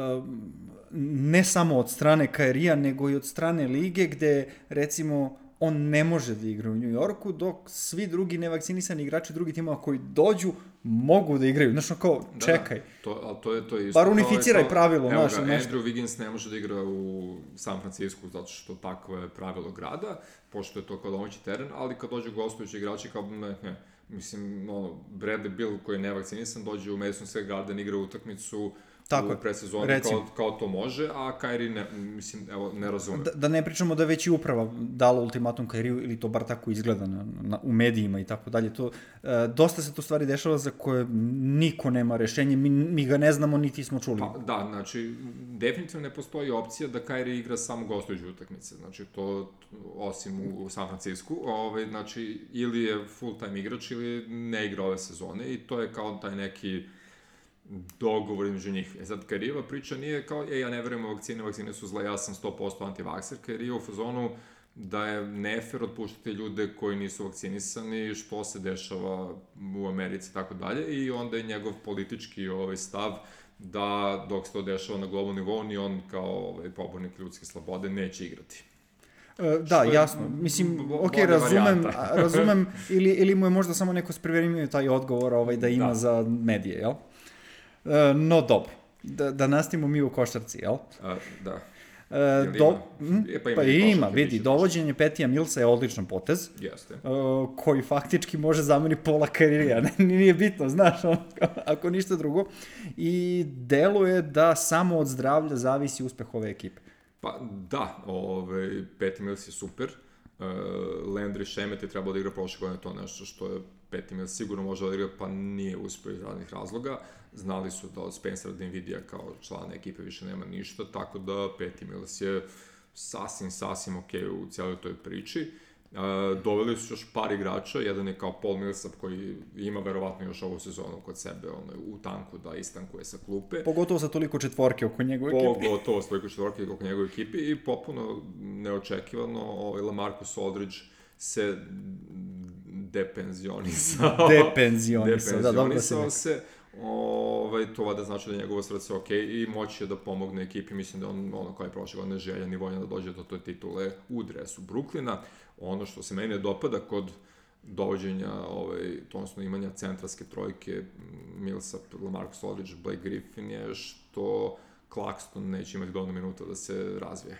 ne samo od strane Kairija, nego i od strane lige, gde, recimo, on ne može da igra u New Yorku, dok svi drugi nevakcinisani igrači drugih timova koji dođu mogu da igraju. Znaš, kao, čekaj. Da, to, ali to je, to je isto. Bar unificiraj pravilo. Evo znaš, ga, nešto. Andrew Wiggins ne može da igra u San Francisco zato što takvo je pravilo grada, pošto je to kao domaći teren, ali kad dođu gostujući igrači, kao ne, ne. Mislim, ono, Bradley Beal koji je nevakcinisan dođe u Madison Square Garden, igra utakmicu Tako u predsezoni kao, kao to može, a Kyrie ne, mislim, evo, ne razumem. Da, da ne pričamo da već i uprava dala ultimatum Kyrie, ili to bar tako izgleda na, na, u medijima i tako dalje. To, e, dosta se to stvari dešava za koje niko nema rešenje, mi, mi ga ne znamo, niti smo čuli. Pa, da, znači, definitivno ne postoji opcija da Kyrie igra samo gostujuće utakmice. Znači, to, osim u, u San Francisco, ovaj, znači, ili je full-time igrač, ili ne igra ove sezone, i to je kao taj neki dogovor između njih. E sad, Kyrieva priča nije kao, e, ja ne verujem u vakcine, vakcine su zle, ja sam sto posto antivakser. Kyrieva u fazonu da je nefer otpuštati ljude koji nisu vakcinisani, što se dešava u Americi i tako dalje, i onda je njegov politički ovaj, stav da dok se to dešava na globalnom nivou, ni on kao ovaj, pobornik ljudske slobode neće igrati. E, da, je, jasno. Mislim, ok, razumem, razumem ili, ili mu je možda samo neko spripremio taj odgovor ovaj, da ima da. za medije, jel? E, no, dobro. Da, da nastavimo mi u košarci, jel? A, da. E, do, ima? E, pa ima, pa ima vidi, dovođenje Petija Millsa je odličan potez. Jeste. Uh, koji faktički može zameniti pola karirija. Nije bitno, znaš, on, ako ništa drugo. I deluje da samo od zdravlja zavisi uspeh ove ekipe. Pa da, ovaj, Patty Mills je super. Uh, Landry Shamet je trebao da igra prošle godine, to nešto što je Patty Mills sigurno može da igra, pa nije uspio iz raznih razloga. Znali su da od Spencera Dinvidija kao člana ekipe više nema ništa, tako da Patty Mills je sasvim, sasvim ok u cijeloj toj priči. Uh, doveli su još par igrača, jedan je kao Paul Millsap koji ima verovatno još ovu sezonu kod sebe ono, u tanku da istankuje sa klupe. Pogotovo sa toliko četvorke oko njegove ekipe. Pogotovo sa toliko četvorke oko njegove ekipe i popuno neočekivano ovaj, LaMarcus Aldridge se depenzionisao. Depenzionisao, da, dobro se nekako. se. Ovaj, to vada znači da je njegovo srce ok i moći je da pomogne ekipi. Mislim da on, ono kao je prošle godine, željan i voljan da dođe do toj titule u dresu Brooklyna. Ono što se meni ne dopada kod dovođenja, ovaj, to odnosno imanja centralske trojke Millsap, LaMarcus Aldridge, Blake Griffin je što Claxton neće imati dovoljno minuta da se razvije.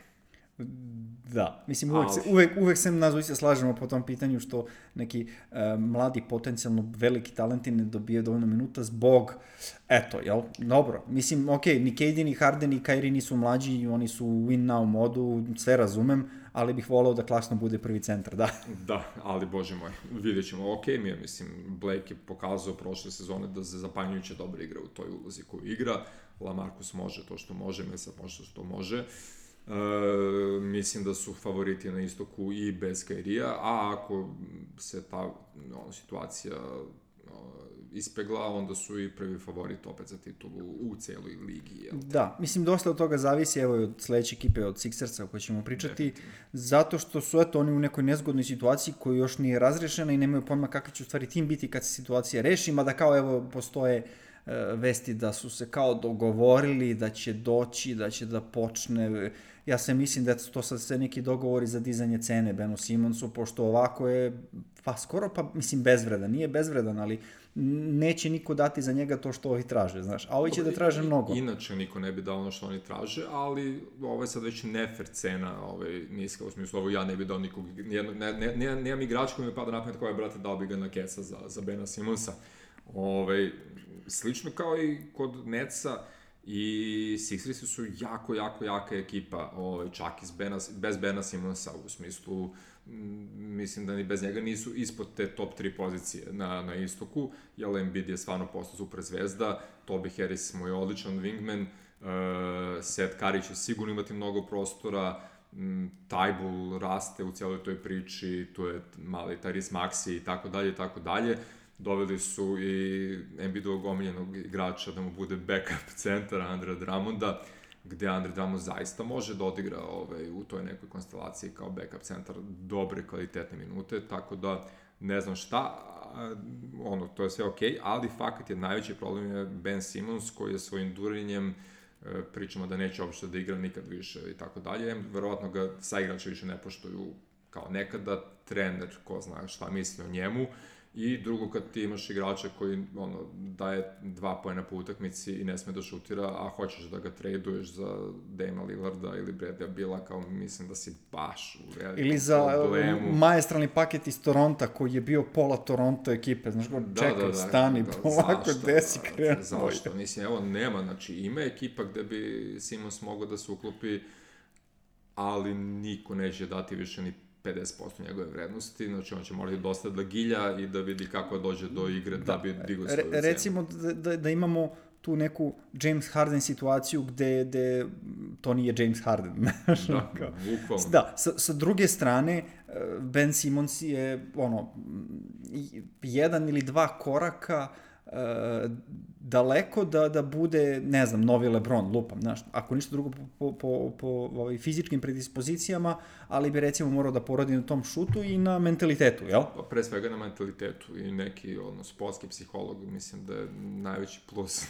Da, mislim, uvek, se, uvek, uvek se nazvoj se slažemo po tom pitanju što neki uh, mladi, potencijalno veliki talenti ne dobije dovoljno minuta zbog, eto, jel, dobro, mislim, ok, ni K D, ni Harden, ni Kyrie nisu mlađi, oni su u win now modu, sve razumem, ali bih voleo da Claxton bude prvi centar, da. Da, ali bože moj, vidjet ćemo, ok mi je, mislim, Blake je pokazao prošle sezone da se zapanjujuće dobro igra u toj ulozi koju igra, LaMarcus može to što može, Millsap može to što može. Uh, mislim da su favoriti na istoku i bez Kyrie-a, a ako se ta ono, situacija uh, ispegla, onda su i prvi favorit opet za titulu u celoj ligi. Jel? Da, mislim, dosta od toga zavisi, evo, od sledeće ekipe, od Sixersa o kojoj ćemo pričati, zato što su, eto, oni u nekoj nezgodnoj situaciji koja još nije razrešena i nemaju pojma kakvi će u stvari tim biti kad se situacija reši, mada kao, evo, postoje uh, vesti da su se kao dogovorili, da će doći, da će da počne. Ja se mislim da to sad sve neki dogovori za dizanje cene Benu Simonsu, pošto ovako je, pa skoro pa, mislim, bezvredan. Nije bezvredan, ali neće niko dati za njega to što ovi traže, znaš. A ovi će da traže mnogo. Inače niko ne bi dao ono što oni traže, ali ovo je sad već nefer cena, ovaj, niska, u smislu, ovo ja ne bi dao nikog, nijedno, ne, ne, ne, nemam igrač koji mi pada na pamet koja je, brate, dao bi ga na kesa za, za Bena Simonsa. Ovaj, slično kao i kod Netsa, i Sixersi su jako, jako jaka ekipa, ovaj, čak i Bena, bez Bena Simonsa, u smislu, m, mislim da ni bez njega nisu ispod te top tri pozicije na, na istoku, jer Embiid je stvarno postao super zvezda, Toby Harris mu je odličan wingman, uh, Seth Curry će sigurno imati mnogo prostora, m, Thybulle raste u cijeloj toj priči, tu je mali Tyrese Maxey i tako dalje i tako dalje. Doveli su i Embiidovog omiljenog igrača da mu bude backup centar Andrea Drummonda, gde Andre Drummond zaista može da odigra ovaj, u toj nekoj konstelaciji kao backup centar dobre kvalitetne minute, tako da ne znam šta, ono, to je sve okej, ali fakat je najveći problem je Ben Simmons koji je svojim durenjem, pričamo da neće uopšte da igra nikad više i tako dalje, verovatno ga sa igrača više ne poštuju kao nekada trener, ko zna šta misli o njemu, i drugo kad ti imaš igrača koji ono, daje dva poena po utakmici i ne sme da šutira, a hoćeš da ga traduješ za Dama Lillarda ili Bradley Bila, kao mislim da si baš u velikom ili za problemu. maestralni paket iz Toronta koji je bio pola Toronto ekipe, znaš go, Da, čekaj, da, da, stani, da, polako, zašto, gde si da, krenuo? Zašto? Mislim, evo, nema, znači, ima ekipa gde bi Simons mogao da se uklopi, ali niko neće dati više ni pedeset posto njegove vrednosti, znači on će morati dosta da gilja i da vidi kako dođe do igre da, da bi digao svoju cenu. Recimo da, da, da imamo tu neku James Harden situaciju gde, gde to nije James Harden. Da, bukvalno. Da, sa, sa druge strane, Ben Simmons je ono, jedan ili dva koraka uh, daleko da, da bude, ne znam, novi LeBron, lupam, znaš, ako ništa drugo po, po, po, po ovaj, fizičkim predispozicijama, ali bi recimo morao da poradi na tom šutu i na mentalitetu, jel? Pa pre svega na mentalitetu i neki, ono, sportski psiholog, mislim da je najveći plus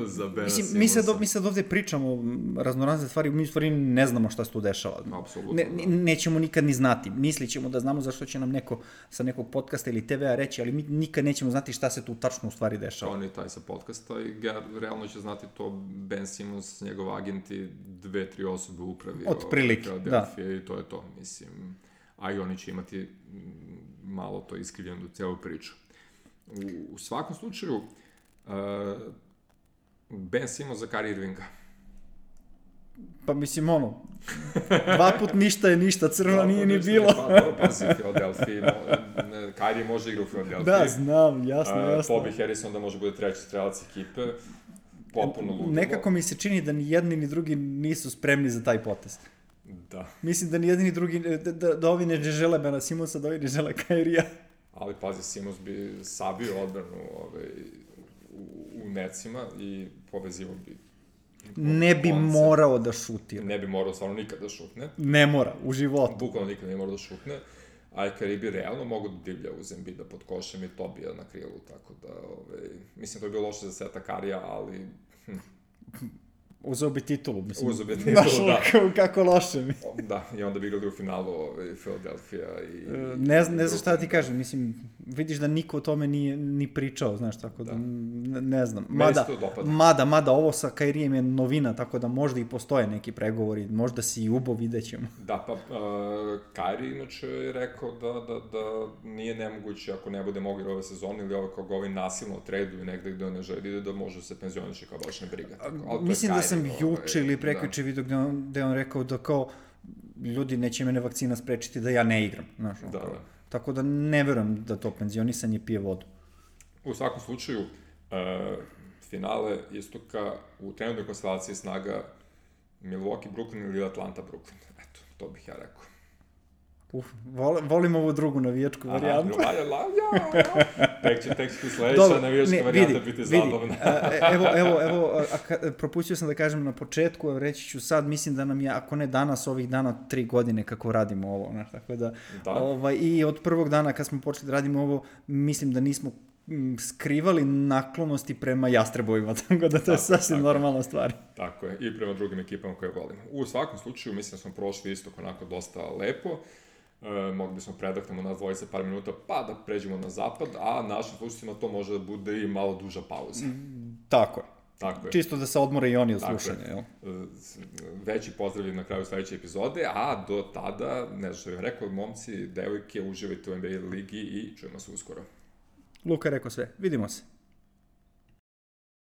za Bena Simonsa. Mi sad, mi sad ovde pričamo raznorazne stvari, mi u stvari ne znamo šta se tu dešava. Apsolutno, ne, da. Nećemo nikad ni znati. Mislit ćemo da znamo zašto će nam neko sa nekog podcasta ili te vea reći, ali mi nikad nećemo znati šta se tu tačno u stvari dešava. On je taj sa podcasta i realno će znati to Ben Simmons, njegov agent i dve, tri osobe u upravi. Od prilike, da. I to je to, mislim. A i oni će imati malo to iskrivljeno celu priču. U, u svakom slučaju, uh, Ben Simmons za Kyrie Irvinga. Pa mislim, ono, dva put ništa je ništa, crvena nije ni bilo. Pa dobro, pazi, Philadelphia, Kyrie može igra u Philadelphia. Da, znam, jasno, jasno. Bobby Harrison da može bude treći strelac ekipe, potpuno ludilo. Nekako mi se čini da ni jedni ni drugi nisu spremni za taj potez. Da. Mislim da ni jedni ni drugi, da, da, da ovi ne žele Bena Simonsa, da ovi ne žele Kyrie-a. Ali pazi, Simons bi sabio odbranu ovaj, u, u necima i povezivao bi. Ne bi konce. morao da šutira. Ne bi morao stvarno nikad da šutne. Ne mora, u životu. Bukvalno nikad ne mora da šutne. A i Kyrie bi realno mogu da divlja uz Embida pod košem i Tobija na krilu, tako da, ovaj, mislim, to je bilo loše za seta Karija, ali... Hm. Uzeo bi titulu, mislim. Uzeo bi titulu, da. Kako loše mi. Da, i onda bi igrali u finalu ovaj, Philadelphia i... Ne, ne znam šta da ti kažem, mislim, vidiš da niko o tome nije ni pričao, znaš, tako da, da ne, ne znam. Mada, mada, mada, ovo sa Kyrijem je novina, tako da možda i postoje neki pregovori, možda si i ubo, vidjet ćemo. Da, pa uh, Kyrie inače je rekao da, da, da nije nemoguće ako ne bude mogu ove sezone ili ovo kao ga ovaj nasilno traduju negde gde on ne želi da može se penzioniše kao baš ne briga. Tako, mislim da sam juče ili prekjuče vidio gde on, gde on rekao da kao ljudi neće mene vakcina sprečiti da ja ne igram. Znaš, da, da. Tako da ne verujem da to penzionisanje pije vodu. U svakom slučaju, uh, finale istoka u trenutnoj konstelaciji snaga Milwaukee, Brooklyn ili Atlanta, Brooklyn. Eto, to bih ja rekao. Uf, volim, volim ovu drugu navijačku Aha, varijantu. Aha, ja, ja, ja. Tek će, tek će ti sledeća navijačka ne, varijanta vidi, biti zabavna. evo, evo, evo, a, a, propustio sam da kažem na početku, a reći ću sad, mislim da nam je, ako ne danas, ovih dana, tri godine kako radimo ovo, znaš, tako da, da. Ovaj, i od prvog dana kad smo počeli da radimo ovo, mislim da nismo skrivali naklonosti prema Jastrebovima, tako da to tako, je sasvim tako, normalna stvar. Tako je, i prema drugim ekipama koje volimo. U svakom slučaju, mislim da smo prošli istok onako dosta lepo. E, mogli bismo predahnemo nas dvojice par minuta pa da pređemo na zapad, a našim slušacima to može da bude i malo duža pauza. Tako je. Tako je. Čisto da se odmore i oni od slušanja. Jel? Veći pozdrav na kraju sledeće epizode, a do tada, ne znam što bih rekao, momci, devojke, uživajte u N B A ligi i čujemo se uskoro. Luka rekao sve. Vidimo se.